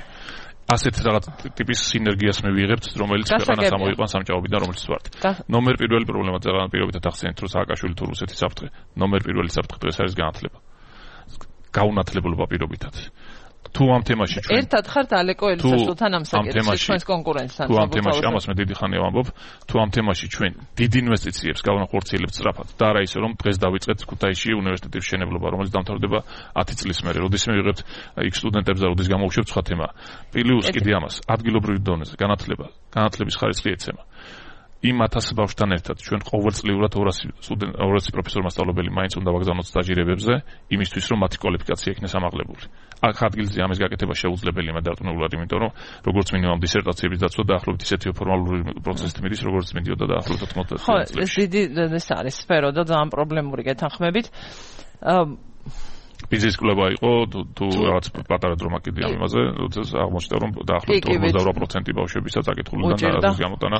ასეთ რაღაც ტიპის სინერგიას მე ვიღებთ, რომელიც ქვეყანას ამოიყვანს სამჭაობიდან, რომელიც ვართ. ნომერ პირველი პრობლემა ძალიან პირობითად ახსენეთ, რომ სააკაშვილი თუ რუსეთის საფრთხე, ნომერ პირველი საფრთხე დღეს არის განათლება. გაუნათლებლობა პირობითად. თუ ამ თემაში ჩვენ
ერთად ხართ ალეკო ელისაშვილთან ამ საკითხში ჩვენს კონკურენტთან.
თუ ამ თემაში ამას მე დიდი ხანი ვამბობ, თუ ამ თემაში ჩვენ დიდ ინვესტიციებს გავანახორციელებთ სწრაფად და არა ისე რომ დღეს დავიწყეთ ქუთაისში უნივერსიტეტის მშენებლობა, რომელიც დამთავრდება ათი წლის მერე, როდესაც მე ვიღებთ იქ სტუდენტებს და როდესაც გამოვხსნებთ სხვა თემა. პლუს კიდე ამას ადგილობრივი დონეზე განათლება, განათლების ხარისხი ეცემა. იმ ათას ბავშვთან ერთად ჩვენ ყოველწლიურად ორასი სტუდენტ ორასი პროფესორ მასწავლებელი მაინც უნდა ვაგზავნოთ სტაჟირებებზე, იმისთვის რომ მათი კვალიფიკაცია იქნეს ამაღლებული. აქ ადგილზე ამის გაკეთება შეუძლებელია დარწმუნებულად, იმიტომ რომ როგორც მინიმუმ დისერტაციების დაცვა დაახლოებით ისეთი ფორმალური პროცესით მიდის, როგორც მიდიოდა დაახლოებით ოთხმოცდაათი წელს.
ხო, ეს დიდი ეს არის სფერო და ძალიან პრობლემური გეთანხმებით.
ბიზნეს კლუბა იყო თუ რაღაც პატარა დრომა კიდე ამ იმაზე, როდესაც აღმოჩნდა რომ დაახლოებით ორმოცდაორი პროცენტი ბავშვებისაც აკითხულიდან დაარსების გამოტანა.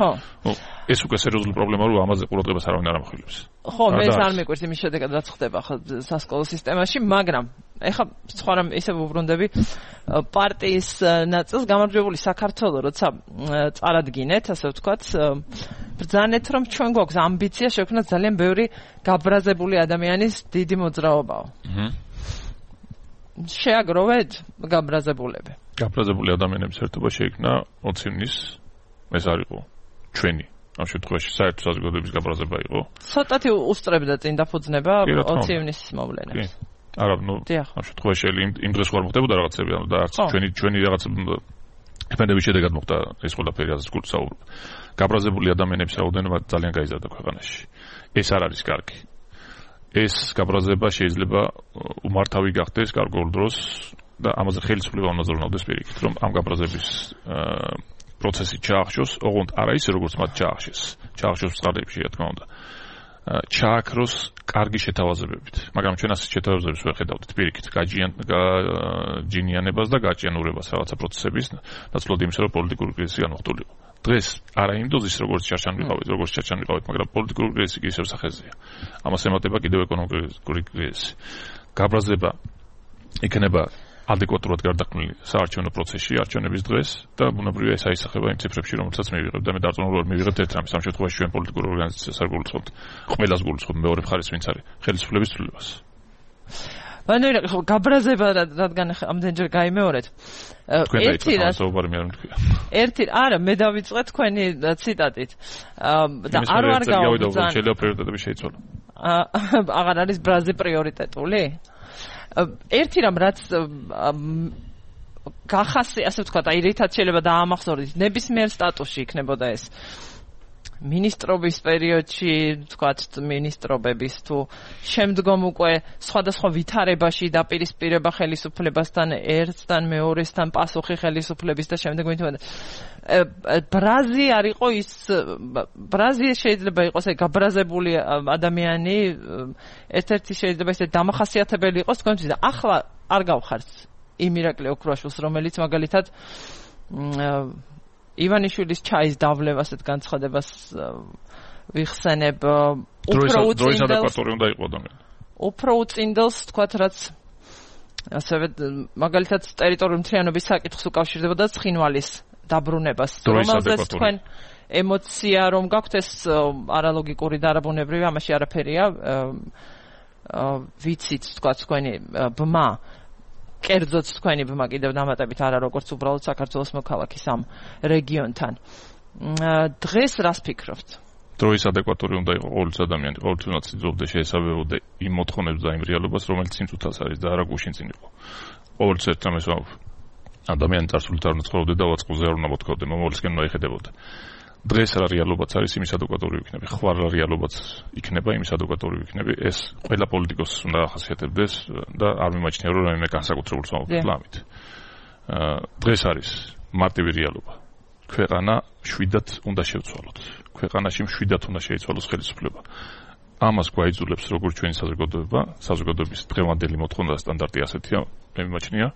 ეს უკვე სერიოზული პრობლემაა, რომ ამაზე ყურადღებას არავინ არ ამახვილებს.
ხო, მე ეს არ მიყვარს იმის შედეგად რაც ხდება ხო სასკოლო სისტემაში, მაგრამ ეხლა სხვა რამ ისე ვუბრუნდები პარტიის ნაწილს გამარჯვებული საქართველო, როცა წარადგინეთ, ასე ვთქვათ, ბრძანეთ რომ ჩვენ გვაქვს ამბიცია შექმნათ ძალიან ბევრი გაბრაზებული ადამიანის დიდი მოძრაობაო. აჰა. შეაგროვეთ გაბრაზებულები.
გაბრაზებული ადამიანების ერთობა შეიქმნა ოცი ივნის, ეს არ იყო ჩვენი. ამ შემთხვევაში საერთო საზოგადოების გაბრაზება იყო.
ცოტათი უსწრებდა წინ დაფუძნება ოცი ივნის მოვლენებს.
არა, ნუ ამ შემთხვევაში იმ დღეს ვარ მოხდებოდა რაღაცები, ანუ და არც ჩვენი ჩვენი რაღაც ეფენდების შედეგად მოხდა ეს ყველაფერი, რაც გულს საუბრობ. გაბრაზებული ადამიანების რაოდენობა ძალიან გაიზარდა ქვეყანაში. ეს არ არის კარგი. ეს გაბრაზება შეიძლება უმართავი გახდეს გარკვეულ დროს და ამაზე ხელისუფლება უნდა ზრუნავდეს პირიქით, რომ ამ გაბრაზების პროცესი ჩაახშოს, ოღონდ არა ისე როგორც მათ ჩაახშეს, ჩაახშოს წყაროებში, რა თქმა უნდა. ჩააქროს კარგი შეთავაზებებით, მაგრამ ჩვენ ასეთ შეთავაზებებს ვერ ხედავთ პირიქით, გაჯინიანებას და გაჭიანურებას რაღაცა პროცესების ნაცვლად იმისა, რომ პოლიტიკური კრიზისი განხორციელიყო. დღეს არა იმ დოზის როგორც ჩარჩან ვიყავით, როგორც ჩარჩან ვიყავით, მაგრამ პოლიტიკური კრიზისი კი ისევ სახეზეა. ამას ემატება კიდევ ეკონომიკური კრიზისი. გაბრაზება იქნება ადეკვატურად გარდაქმნილი საარჩევნო პროცესში, არჩევნების დღეს და ბუნებრივია ეს აისახება იმ ციფრებში, რომელსაც მივიღებთ და მე დარწმუნებული მივიღებთ ერთ რამის, ამ შემთხვევაში ჩვენ პოლიტიკურ ორგანიზაციას არ გულისხმობთ, ყველას გულისხმობთ მეორე მხარეს ვინც არის, ხელისუფლების ცვლილებას.
ანუ გაბრაზება რადგან ამდენჯერ გაიმეორეთ. ერთი რაც ერთი არა მე დავიწყე თქვენი ციტატით. და არ ვარ გავუძან.
შეიძლება პრიორიტეტები შეიცვალა.
აღარ არის ბრაზი პრიორიტეტული? ერთი რამ რაც გახასი, ასე ვთქვათ, აი რითაც შეიძლება დაამახსოვრდეთ, ნებისმიერ სტატუსში იქნებოდა ეს. მინისტრობის პერიოდში, ვთქვათ, მინისტრობების თუ შემდგომ უკვე სხვადასხვა ვითარებაში დაპირისპირება ხელისუფლებასთან, ერთთან, მეორესთან, პასუხი ხელისუფლების და შემდეგ მითხოვდა. ბრაზი არ იყო ის ბრაზი შეიძლება იყოს აი გაბრაზებული ადამიანი, ერთ-ერთი შეიძლება ისე დამახასიათებელი იყოს თქვენთვის და ახლა არ გავხართ იმ ირაკლი ოქროაშვილს, რომელიც მაგალითად ივანიშვილის ჩაის დავლევას ასეთ განცხადებას ვიხსენებ უფრო უწინდელს
უნდა იყო ადამიანი.
უფრო უწინდელს თქვათ რაც ასევე მაგალითად ტერიტორიული მთლიანობის საკითხს უკავშირდებოდა ცხინვალის დაბრუნებას, რომელზეც თქვენ ემოცია რომ გაქვთ ეს არალოგიკური და არაბუნებრივი, ამაში არაფერია ვიცით თქვათ თქვენი ბმა კერძოც თქვენი ბმა კიდევ დამატებით არა როგორც უბრალოდ საქართველოს მოქალაქის ამ რეგიონთან. დღეს რას ფიქრობთ?
დროის ადეკვატური უნდა იყო ყოველთვის ადამიანი, ყოველთვის უნდა ციძულობდა შეესაბამებოდა იმ მოთხოვნებს და იმ რეალობას, რომელიც სიმწუთას არის და არა გუშინ წინ იყო. ყოველთვის ერთ რამეს ვამბობ. ადამიანი წარსულით არ უნდა ცხოვრობდა და ვაწყოზე არ უნდა მოთხოვდა, მომავლისკენ უნდა იხედებოდა. დღეს რა რეალობაც არის, იმის ადეკვატური ვიქნები. ხვალ რა რეალობაც იქნება, იმის ადეკვატური ვიქნები. ეს ყველა პოლიტიკოსს უნდა ახასიათებდეს და არ მიმაჩნია რომ რაიმე განსაკუთრებულს ვამბობ ამით. დღეს არის მარტივი რეალობა. ქვეყანა შვიდად უნდა შევცვალოთ. ქვეყანაში შვიდად უნდა შეიცვალოს ხელისუფლება. ამას გვაიძულებს როგორც ჩვენი საზოგადოება, საზოგადოების დღევანდელი მოთხოვნა და სტანდარტი ასეთია, მე მიმაჩნია.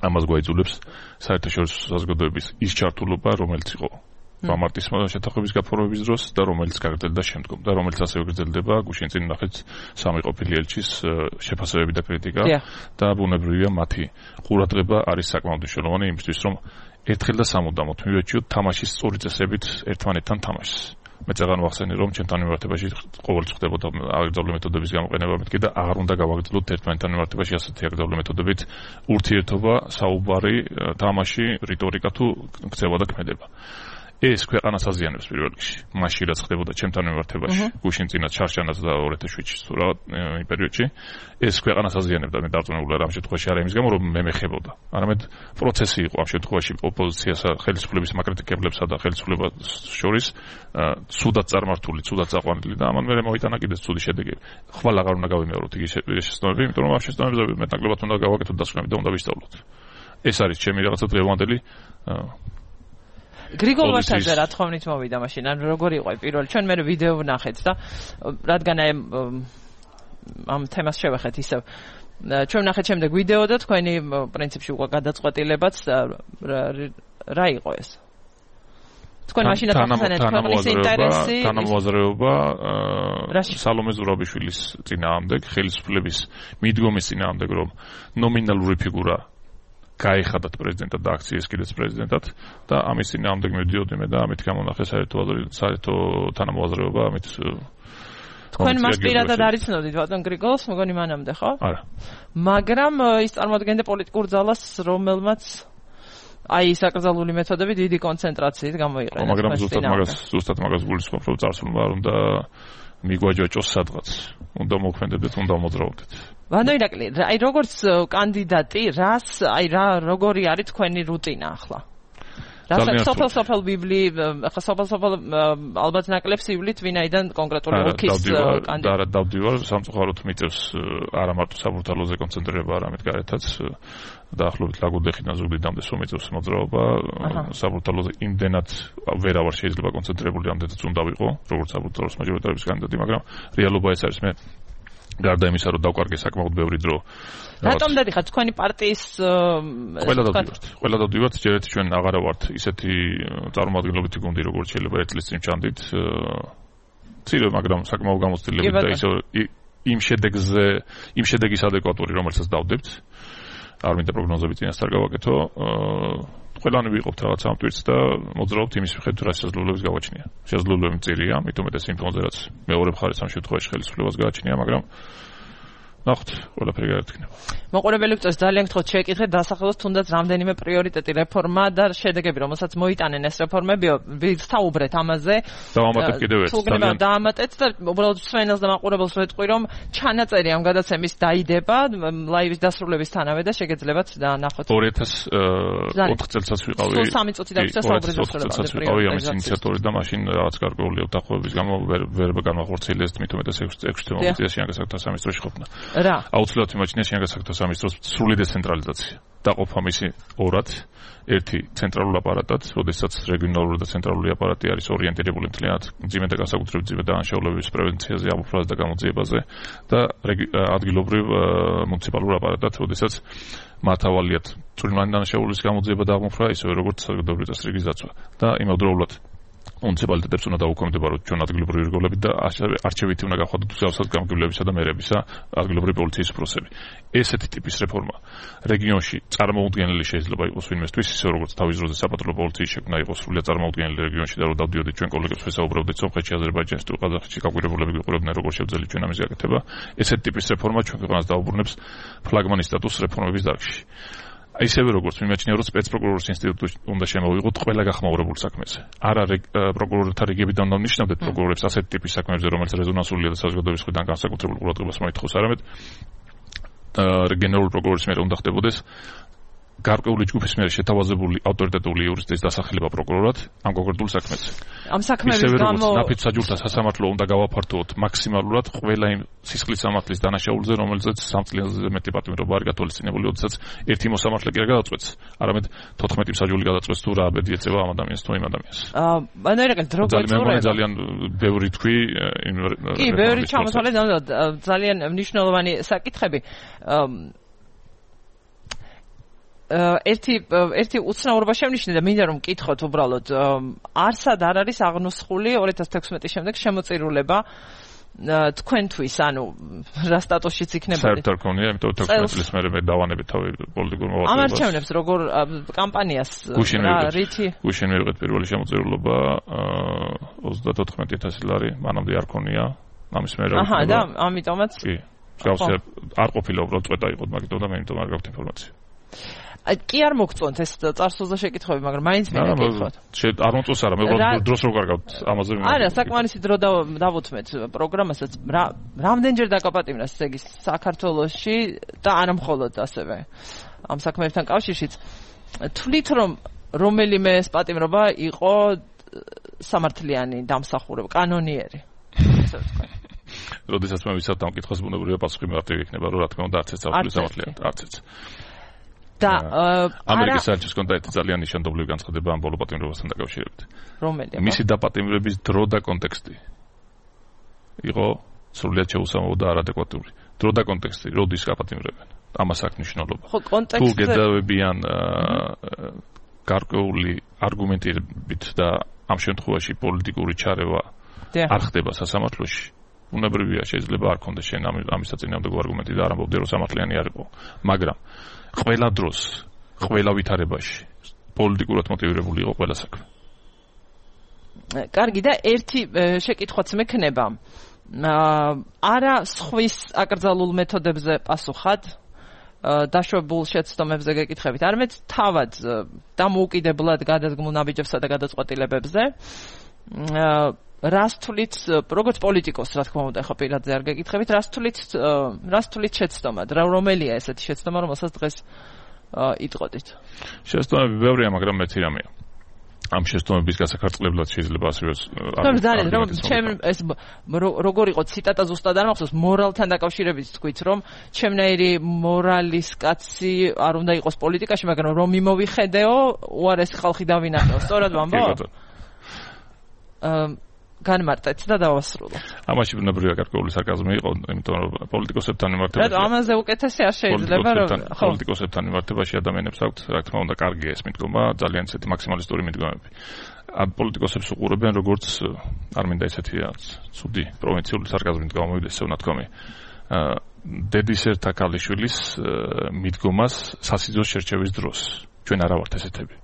ამას გვაიძულებს საერთაშორისო საზოგადოების ის ჩართულობა, რომელიც იყო მამარტის შეთანხმების გაფორმების დროს და რომელიც გაგრძელდა შემდგომ და რომელიც ასევე გრძელდება გუშინ წინ ნახეთ სამი ყოფილი ელჩის შეფასებები და კრიტიკა და ბუნებრივია მათი ყურადღება არის საკმაოდ მნიშვნელოვანი იმისთვის რომ ერთხელ და სამუდამოდ მივეჩიოთ თამაშის სწორი წესებით ერთმანეთთან თამაშს. მე წეგან ვახსენე რომ ჩემთან მიმართებაში ყოველთვის ხდებოდა აგრძალული მეთოდების გამოყენება მეთქი და აღარ უნდა გავაგრძელოთ ერთმანეთთან მიმართებაში ასეთი აგრძალული მეთოდებით ურთიერთობა, საუბარი, თამაში, რიტორიკა თუ ქცევა და ქმედება. ეს ქვეყანას აზიანებს პირველ რიგში. მაშინ რაც ხდებოდა ჩემთან მიმართებაში, გუშინ წინა ჩარჩანაც და ორ ათას შვიდში თუ რა იმ პერიოდში, ეს ქვეყანას აზიანებდა. მე დარწმუნებული ვარ ამ შემთხვევაში არა იმის გამო რომ მე მეხებოდა. არამედ პროცესი იყო ამ შემთხვევაში ოპოზიციასა, ხელისუფლების მაკრიტიკებლებსა და ხელისუფლებას შორის სუდად წარმართული, სუდად წაყვანილი და ამან მე მოიტანა კიდეც ცუდი შედეგები. ხვალ აღარ უნდა გავიმეოროთ იგი შეცდომები, იმიტომ რომ ამ შეცდომებზე მეტნაკლებად უნდა გავაკეთოთ დასკვნები და უნდა ვისწავლოთ. ეს არის ჩემი რაღაცა დღევანდელი
გრიგოლ ვარდაძე რა თქმით მოვიდა მაშინ ან როგორი იყო პირველი ჩვენ მე ვიდეო ვნახეთ და რადგან აი ამ თემას შევეხეთ ისევ ჩვენ ვნახეთ შემდეგ ვიდეო და თქვენი პრინციპში უკვე გადაწყვეტილებაც რა იყო ეს თქვენ მაშინ ახსენეთ ქვეყნის ინტერესი
თანამოაზრეობა სალომე ზურაბიშვილის წინააღმდეგ ხელისუფლების მიდგომის წინააღმდეგ რომ ნომინალური ფიგურა გაიხადათ პრეზიდენტად და აქციეს კიდეც პრეზიდენტად და ამის წინააღმდეგ მივდიოდი მე და ამით გამონახე საერთო საერთო თანამოაზრეობა ამით
თქვენ მას პირადად არიცნობდით ბატონ გრიგოლს მგონი მანამდე ხო?
არა.
მაგრამ ის წარმოადგენდა პოლიტიკურ ძალას რომელმაც აი საკრძალული მეთოდები დიდი კონცენტრაციით გამოიყენა.
მაგრამ ზუსტად მაგას ზუსტად მაგას გულისხმობ რომ წარსულმა არ უნდა მიგვაჯაჭოს სადღაც. უნდა მოქმედებდეთ, უნდა მოძრაობდეთ.
ვანო ირაკლი, აი როგორც კანდიდატი, რას, აი რა როგორი არის თქვენი რუტინა ახლა? რასაც სოფელ-სოფელ ბიბლი, ახლა სოფელ-სოფელ ალბათ ნაკლებს ივლით ვინაიდან კონკრეტული ოლქის
კანდიდატი. არა, დავდივარ, სამწუხაროდ მიწევს არა მარტო საბურთალოზე კონცენტრირება, არამედ გარეთაც დაახლოებით ლაგოდეხიდან ზუგდიდამდე სულ მიწევს მოძრაობა. საბურთალოზე იმდენად ვერავარ შეიძლება კონცენტრირებული ამდენად უნდა ვიყო, როგორც საბურთალოს მაჟორიტარების კანდიდატი, მაგრამ რეალობა ეს არის მე გარდა იმისა რომ დავკარგე საკმაოდ ბევრი დრო.
რატომ დადიხართ თქვენი პარტიის
ყველა დავდივართ. ყველა დავდივართ, ჯერ ერთი ჩვენ აღარა ვართ ისეთი წარმომადგენლობითი გუნდი როგორც შეიძლება ერთ წლის წინ ჩანდით. ცირე, მაგრამ საკმაოდ გამოცდილებით და ისე იმ შედეგზე, იმ შედეგის ადეკვატური რომელსაც დავდებთ. არ მინდა პროგნოზები წინასწარ გავაკეთო. ყველანი ვიყოფთ რაღაც ამ ტვირთს და მოძრაობთ იმის მიხედვით რა შესაძლებლობებს გავაჩნია. შესაძლებლობები მწირია, მithumetes იმ ფონზე რაც მეორე მხარეს ამ შემთხვევაში ხელისუფლებას გააჩნია, მაგრამ ნახოთ, ყველაფერი გაერთიანება.
მოყურებელი ვწოს ძალიან გთხოვთ შეეკითხეთ დასახელოს თუნდაც რამდენიმე პრიორიტეტი რეფორმა და შედეგები, რომელსაც მოიტანენ ეს რეფორმებიო, ვისაუბრეთ ამაზე.
დავამატებ კიდევ ერთ.
ძალიან დავამატეთ და უბრალოდ სვენელს და მაყურებელს ვეთყვი, რომ ჩანაწერი ამ გადაცემის დაიდება ლაივის დასრულებისთანავე და შეგეძლებათ და ნახოთ.
ორი ათას ოთხ წელსაც ვიყავი.
სულ სამი წუთი დავიწყე საუბრის
დასრულებამდე. ამის ინიციატორი და მაშინ რაღაც გარკვეული უთანხმოების გამო ვერ განახორციელე ეს მithumetes ექვსი წელი შეანგასაკთა სამინისტროში ყოფნა.
რა?
აუცილებლად იმაჩნია შეანგასაკთა სამინისტროს სრული დეცენტრალიზაცია. დაყოფა მისი ორად, ერთი ცენტრალურ აპარატად, როდესაც რეგიონალური და ცენტრალური აპარატი არის ორიენტირებული მთლიანად მძიმე და განსაკუთრებით მძიმე დანაშაულების პრევენციაზე, ამოფრქვევაზე და გამოძიებაზე და ადგილობრივ მუნიციპალურ აპარატად, როდესაც მართავალიათ წვრილმანი დანაშაულების გამოძიება და ამოფრქვევა, ისევე როგორც საზოგადოებრივი წესრიგის დაცვა და იმავდროულად მუნიციპალიტეტებს უნდა დაუქვემდებაროთ ჩვენ ადგილობრივი რგოლებით და არჩევითი უნდა გავხადოთ უსაფრთხო გამგებლებისა და მერებისა ადგილობრივი პოლიციის უფროსები. ესეთი ტიპის რეფორმა რეგიონში წარმოუდგენელი შეიძლება იყოს ვინმესთვის, ისე როგორც თავის დროზე საპატრულო პოლიციის შექმნა იყო სრულიად წარმოუდგენელი რეგიონში და რომ დავდიოდით ჩვენ კოლეგებს ვესაუბრებდით სომხეთში, აზერბაიჯანში თუ ყაზახეთში გაკვირვებულები გვიყურებდნენ როგორ შევძელით ჩვენ ამის გაკეთება. ესეთი ტიპის რეფორმა ჩვენ ქვეყანას დაუბრუნებს ფლაგმანის სტატუსს რეფორმების დარგში. ისევე როგორც მიმაჩნია რომ სპეცპროკურორის ინსტიტუტი უნდა შემოვიღოთ ყველა გახმაურებულ საქმეზე. არა პროკურორთა რიგებიდან უნდა ნიშნავდეთ პროკურორებს ასეთ ტიპის საქმეებზე, რომელიც რეზონანსულია და საზოგადოების მხრიდან განსაკუთრებულ ყურადღებას მოითხოვს, არამედ გენერალური პროკურორის მიერ უნდა ხდებოდეს გარკვეული ჯგუფის მიერ შეთავაზებული ავტორიტეტული იურისტის დასახელება პროკურორად ამ კონკრეტულ საქმეზე.
ამ საქმეების გამო
ნაფიც საჯულთა სასამართლო უნდა გავაფართოვოთ მაქსიმალურად ყველა იმ სისხლის სამართლის დანაშაულზე, რომელზეც სამ წლიანზე მეტი პატიმრობა არის გათვალისწინებული, როდესაც ერთი მოსამართლე კი არ გადაწყვეტს, არამედ თოთხმეტი მსაჯული გადაწყვეტს თუ რა აბედი ეწევა ამ ადამიანს თუ იმ ადამიანს.
აა, ანუ ერეკა დრო
გაწურება. ძალიან ბევრი თქვი
კი, ბევრი ჩამოთვალე ძალიან მნიშვნელოვანი საკითხები. ერთი ერთი უცნაურობა შევნიშნე და მინდა რომ მკითხოთ უბრალოდ არსად არ არის აღნუსხული ორი ათას თექვსმეტის შემდეგ შემოწირულება თქვენთვის, ანუ რა სტატუსშიც იქნებოდი?
საერთოდ არ ქონია, იმიტომ რომ თექვსმეტ წლის მერე მე დავანები თავი პოლიტიკურ მოღვაწეობას.
ამ არჩევნებს როგორ კამპანიას რითი?
გუშინ მივიღეთ პირველი შემოწირულობა ოცდათოთხმეტი ათასი ლარი, მანამდე არ ქონია. ამის მერე რა.
აჰა, და ამიტომაც
კი. გავსე არ ყოფილა უბრალოდ წვეტა იყო, მაგიტომ და მე იმიტომ არ გაქვთ ინფორმაცია.
კი არ მოგწონთ ეს წარსულზე შეკითხვები, მაგრამ მაინც მე მეკითხოთ.
არ მომწონს არა, მე უბრალოდ დროს რო კარგავთ ამაზე.
არა, საკმარისი დრო დავუთმეთ პროგრამასაც. რამდენჯერ დაკაპატიმრა ეგ ის საქართველოში და არა მხოლოდ ასევე ამ საქმეებთან კავშირშიც. თვლით რომ რომელიმე ეს პატიმრობა იყო სამართლიანი დამსახურება, კანონიერი. ესე ვთქვა.
როდესაც მე ვისაც ამ კითხვას ბუნებრივია პასუხი მარტივი იქნება, რომ რა თქმა უნდა არც ეს სამართლიანი, არც ეს.
და
ამერიკის საელჩოს კონდა ერთი ძალიან ნიშანდობლივი განცხადება ამ ბოლო პატიმრობასთან დაკავშირებით.
რომელია?
მისი დაპატიმრების დრო და კონტექსტი იყო სრულიად შეუსამო და არადეკვატური. დრო და კონტექსტი, როდის გაპატიმრებენ? ამას აქვს მნიშვნელობა.
ხო, კონტექსტზე
თუ გეძავებიან გარკვეული არგუმენტირებით და ამ შემთხვევაში პოლიტიკური ჩარევა არ ხდება სასამართლოში, უნებრივია შეიძლება არ ქონდეს შენ ამის საწინააღმდეგო არგუმენტი და არ ამბობდე რომ სამართლიანი არ იყო, მაგრამ ყველა დროს, ყველა ვითარებაში პოლიტიკურად მოტივირებული იყო ყველა საქმე.
კარგი და ერთი შეკითხვაც მექნება. არა სხვის აკრძალულ მეთოდებზე პასუხად დაშვებულ შეცდომებზე გეკითხებით, არამედ თავად დამოუკიდებლად გადადგმულ ნაბიჯებსა და გადაწყვეტილებებზე. რას თვლით, როგორც პოლიტიკოს, რა თქმა უნდა, ხო პირადზე არ გეკითხებით, რას თვლით, რას თვლით შეცდომა, რომელია ესეთი შეცდომა, რომელსაც დღეს იტყოდით?
შეცდომები ბევრია, მაგრამ მეცი რამეა. ამ შეცდომების გასახარწყლებლად შეიძლება ასევე
არ ძალიან რომ ჩემ ეს როგორ იყო ციტატა ზუსტად არ მახსოვს, მორალთან დაკავშირებით თქვით, რომ ჩემნაირი მორალის კაცი არ უნდა იყოს პოლიტიკაში, მაგრამ რომ მიმოვიხედეო, უარესი ხალხი დავინახეო, სწორად ვამბობ? აა განმარტეთ და დავასრულოთ.
ამაში ბუნებრივია გარკვეული სარკაზმი იყო, იმიტომ რომ პოლიტიკოსებთან მიმართებაში.
რა ამაზე უკეთესი არ შეიძლება რომ
ხო პოლიტიკოსებთან მიმართებაში ადამიანებს აქვთ, რა თქმა უნდა, კარგია ეს მიდგომა, ძალიან ისეთი მაქსიმალისტური მიდგომები. ამ პოლიტიკოსებს უყურებენ როგორც არ მინდა ესეთი ცუდი პროვინციული სარკაზმით გამოვიდეს ეს ნათქვამი. დედის ერთა ქალიშვილის მიდგომას სასიძოს შერჩევის დროს. ჩვენ არა ვართ ესეთები.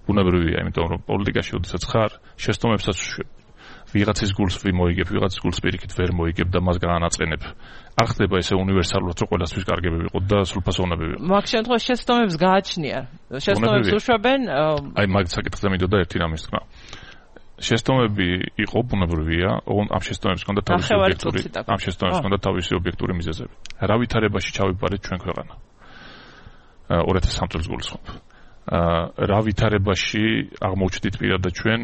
ბუნებრივია, იმიტომ რომ პოლიტიკაში ოდესაც ხარ, შეცდომებსაც ვიღაცის გულს ვიმოიგებ, ვიღაცის გულს პირიქით ვერ მოიგებ და მას განაწყენებ. არ ხდება ესე უნივერსალურად, რომ ყველასთვის კარგები ვიყოთ და სრულფასოვნები ვიყოთ.
მაგ შემთხვევაში შეცდომებს გააჩნია. შეცდომებს უშვებენ.
აი მაგ საკითხზე მინდოდა ერთი რამის თქმა. შეცდომები იყო ბუნებრივია, ამ შეცდომებს ჰქონდა თავისი ობიექტური, ამ შეცდომებს ჰქონდა თავისი ობიექტური მიზეზები. რა ვითარებაში ჩავიბარეთ ჩვენ ქვეყანა? ორი ათას სამი წელს გულისხმობ. რა ვითარებაში აღმოჩნდით პირადად ჩვენ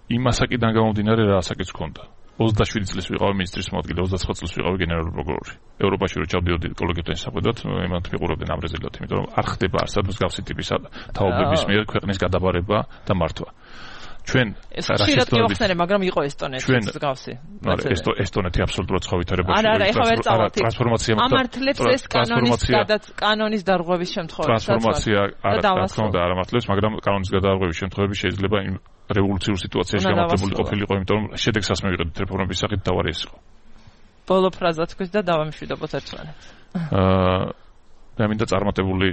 იმ ასაკიდან გამომდინარე რა ასაკიც ჰქონდა. ოცდაშვიდი წლის ვიყავი მინისტრის მოადგილე, ოცდაცხრა წლის ვიყავი გენერალური პროკურორი. ევროპაში რო ჩავდიოდი კოლეგებთან შესახვედრად, იმათ მიყურებდნენ ამ რეზილტად, იმიტომ რომ არ ხდება არსად მსგავსი ტიპის თაობების მიერ ქვეყნის გადაბარება და მართვა. ჩვენ
რასისტები ხსენე, მაგრამ იყო ესტონეთის მსგავსი.
ესტონეთი აბსოლუტურად სხვა ვითარებაში.
არა, არა, ეხლა ვერ წავთ.
ტრანსფორმაცია
ამართლებს ეს კანონის კანონის დარღვევის შემთხვევაში.
ტრანსფორმაცია არა, თქმა უნდა, არ ამართლებს, მაგრამ კანონის გადარღვევის შემთხვევაში შეიძლება იმ რევოლუციურ სიტუაციაში გამართლებული ყოფილიყო, იმიტომ რომ შედეგსაც მივიღებთ რეფორმების სახით თავარი ეს იყო.
ბოლო ფრაზა თქვით და დავამშვიდობოთ ერთმანეთს.
აა მე მინდა წარმატებული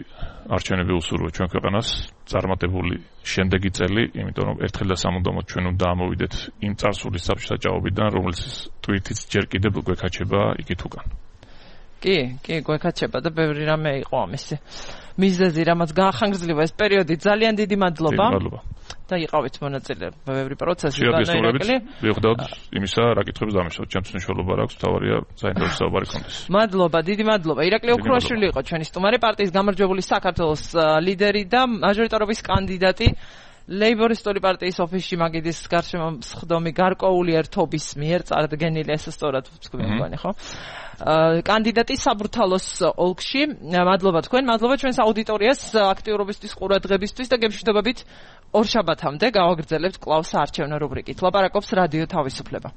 არჩევნები უსურვო ჩვენ ქვეყანას, წარმატებული შემდეგი წელი, იმიტომ რომ ერთხელ და სამუდამოდ ჩვენ უნდა ამოვიდეთ იმ წარსულის საბჭოთაჭაობიდან, რომელიც თვითიც ჯერ კიდევ გვეკაჩება იქით უკან.
კი, კი, გვეკაჩება და ბევრი რამე იყო ამისი. მიზეზი, რამაც გაახანგრძლива ეს პერიოდი, ძალიან დიდი მადლობა.
მადლობა.
და იყავით მონაწილე ბევრი პროცესი
განაირაკლი. ვიხდავთ იმისა, რა კითხვებს დამისვათ, ჩემს მნიშვნელობა აქვს, თავარია საინტერესო საუბარი კონდეს.
მადლობა, დიდი მადლობა. ირაკლი ოქროაშვილი იყო ჩვენი სტუმარი, პარტიის გამარჯვებული საქართველოს ლიდერი და მაჟორიტარობის კანდიდატი. ლეიბორისტული პარტიის ოფისში მაგიდის გარშემო მსხდომი გარკვეული ერთობის მიერ წარდგენილი, ეს სწორად ვთქვი მგონი, ხო? კანდიდატი საბრთალოს ოლქში. მადლობა თქვენ, მადლობა ჩვენს აუდიტორიას აქტიურობისთვის, ყურადღებისთვის და გემშვიდობებით ორ შაბათამდე გავაგრძელებთ კვლავ საარჩევნო რუბრიკით. ლაპარაკობს რადიო თავისუფლება.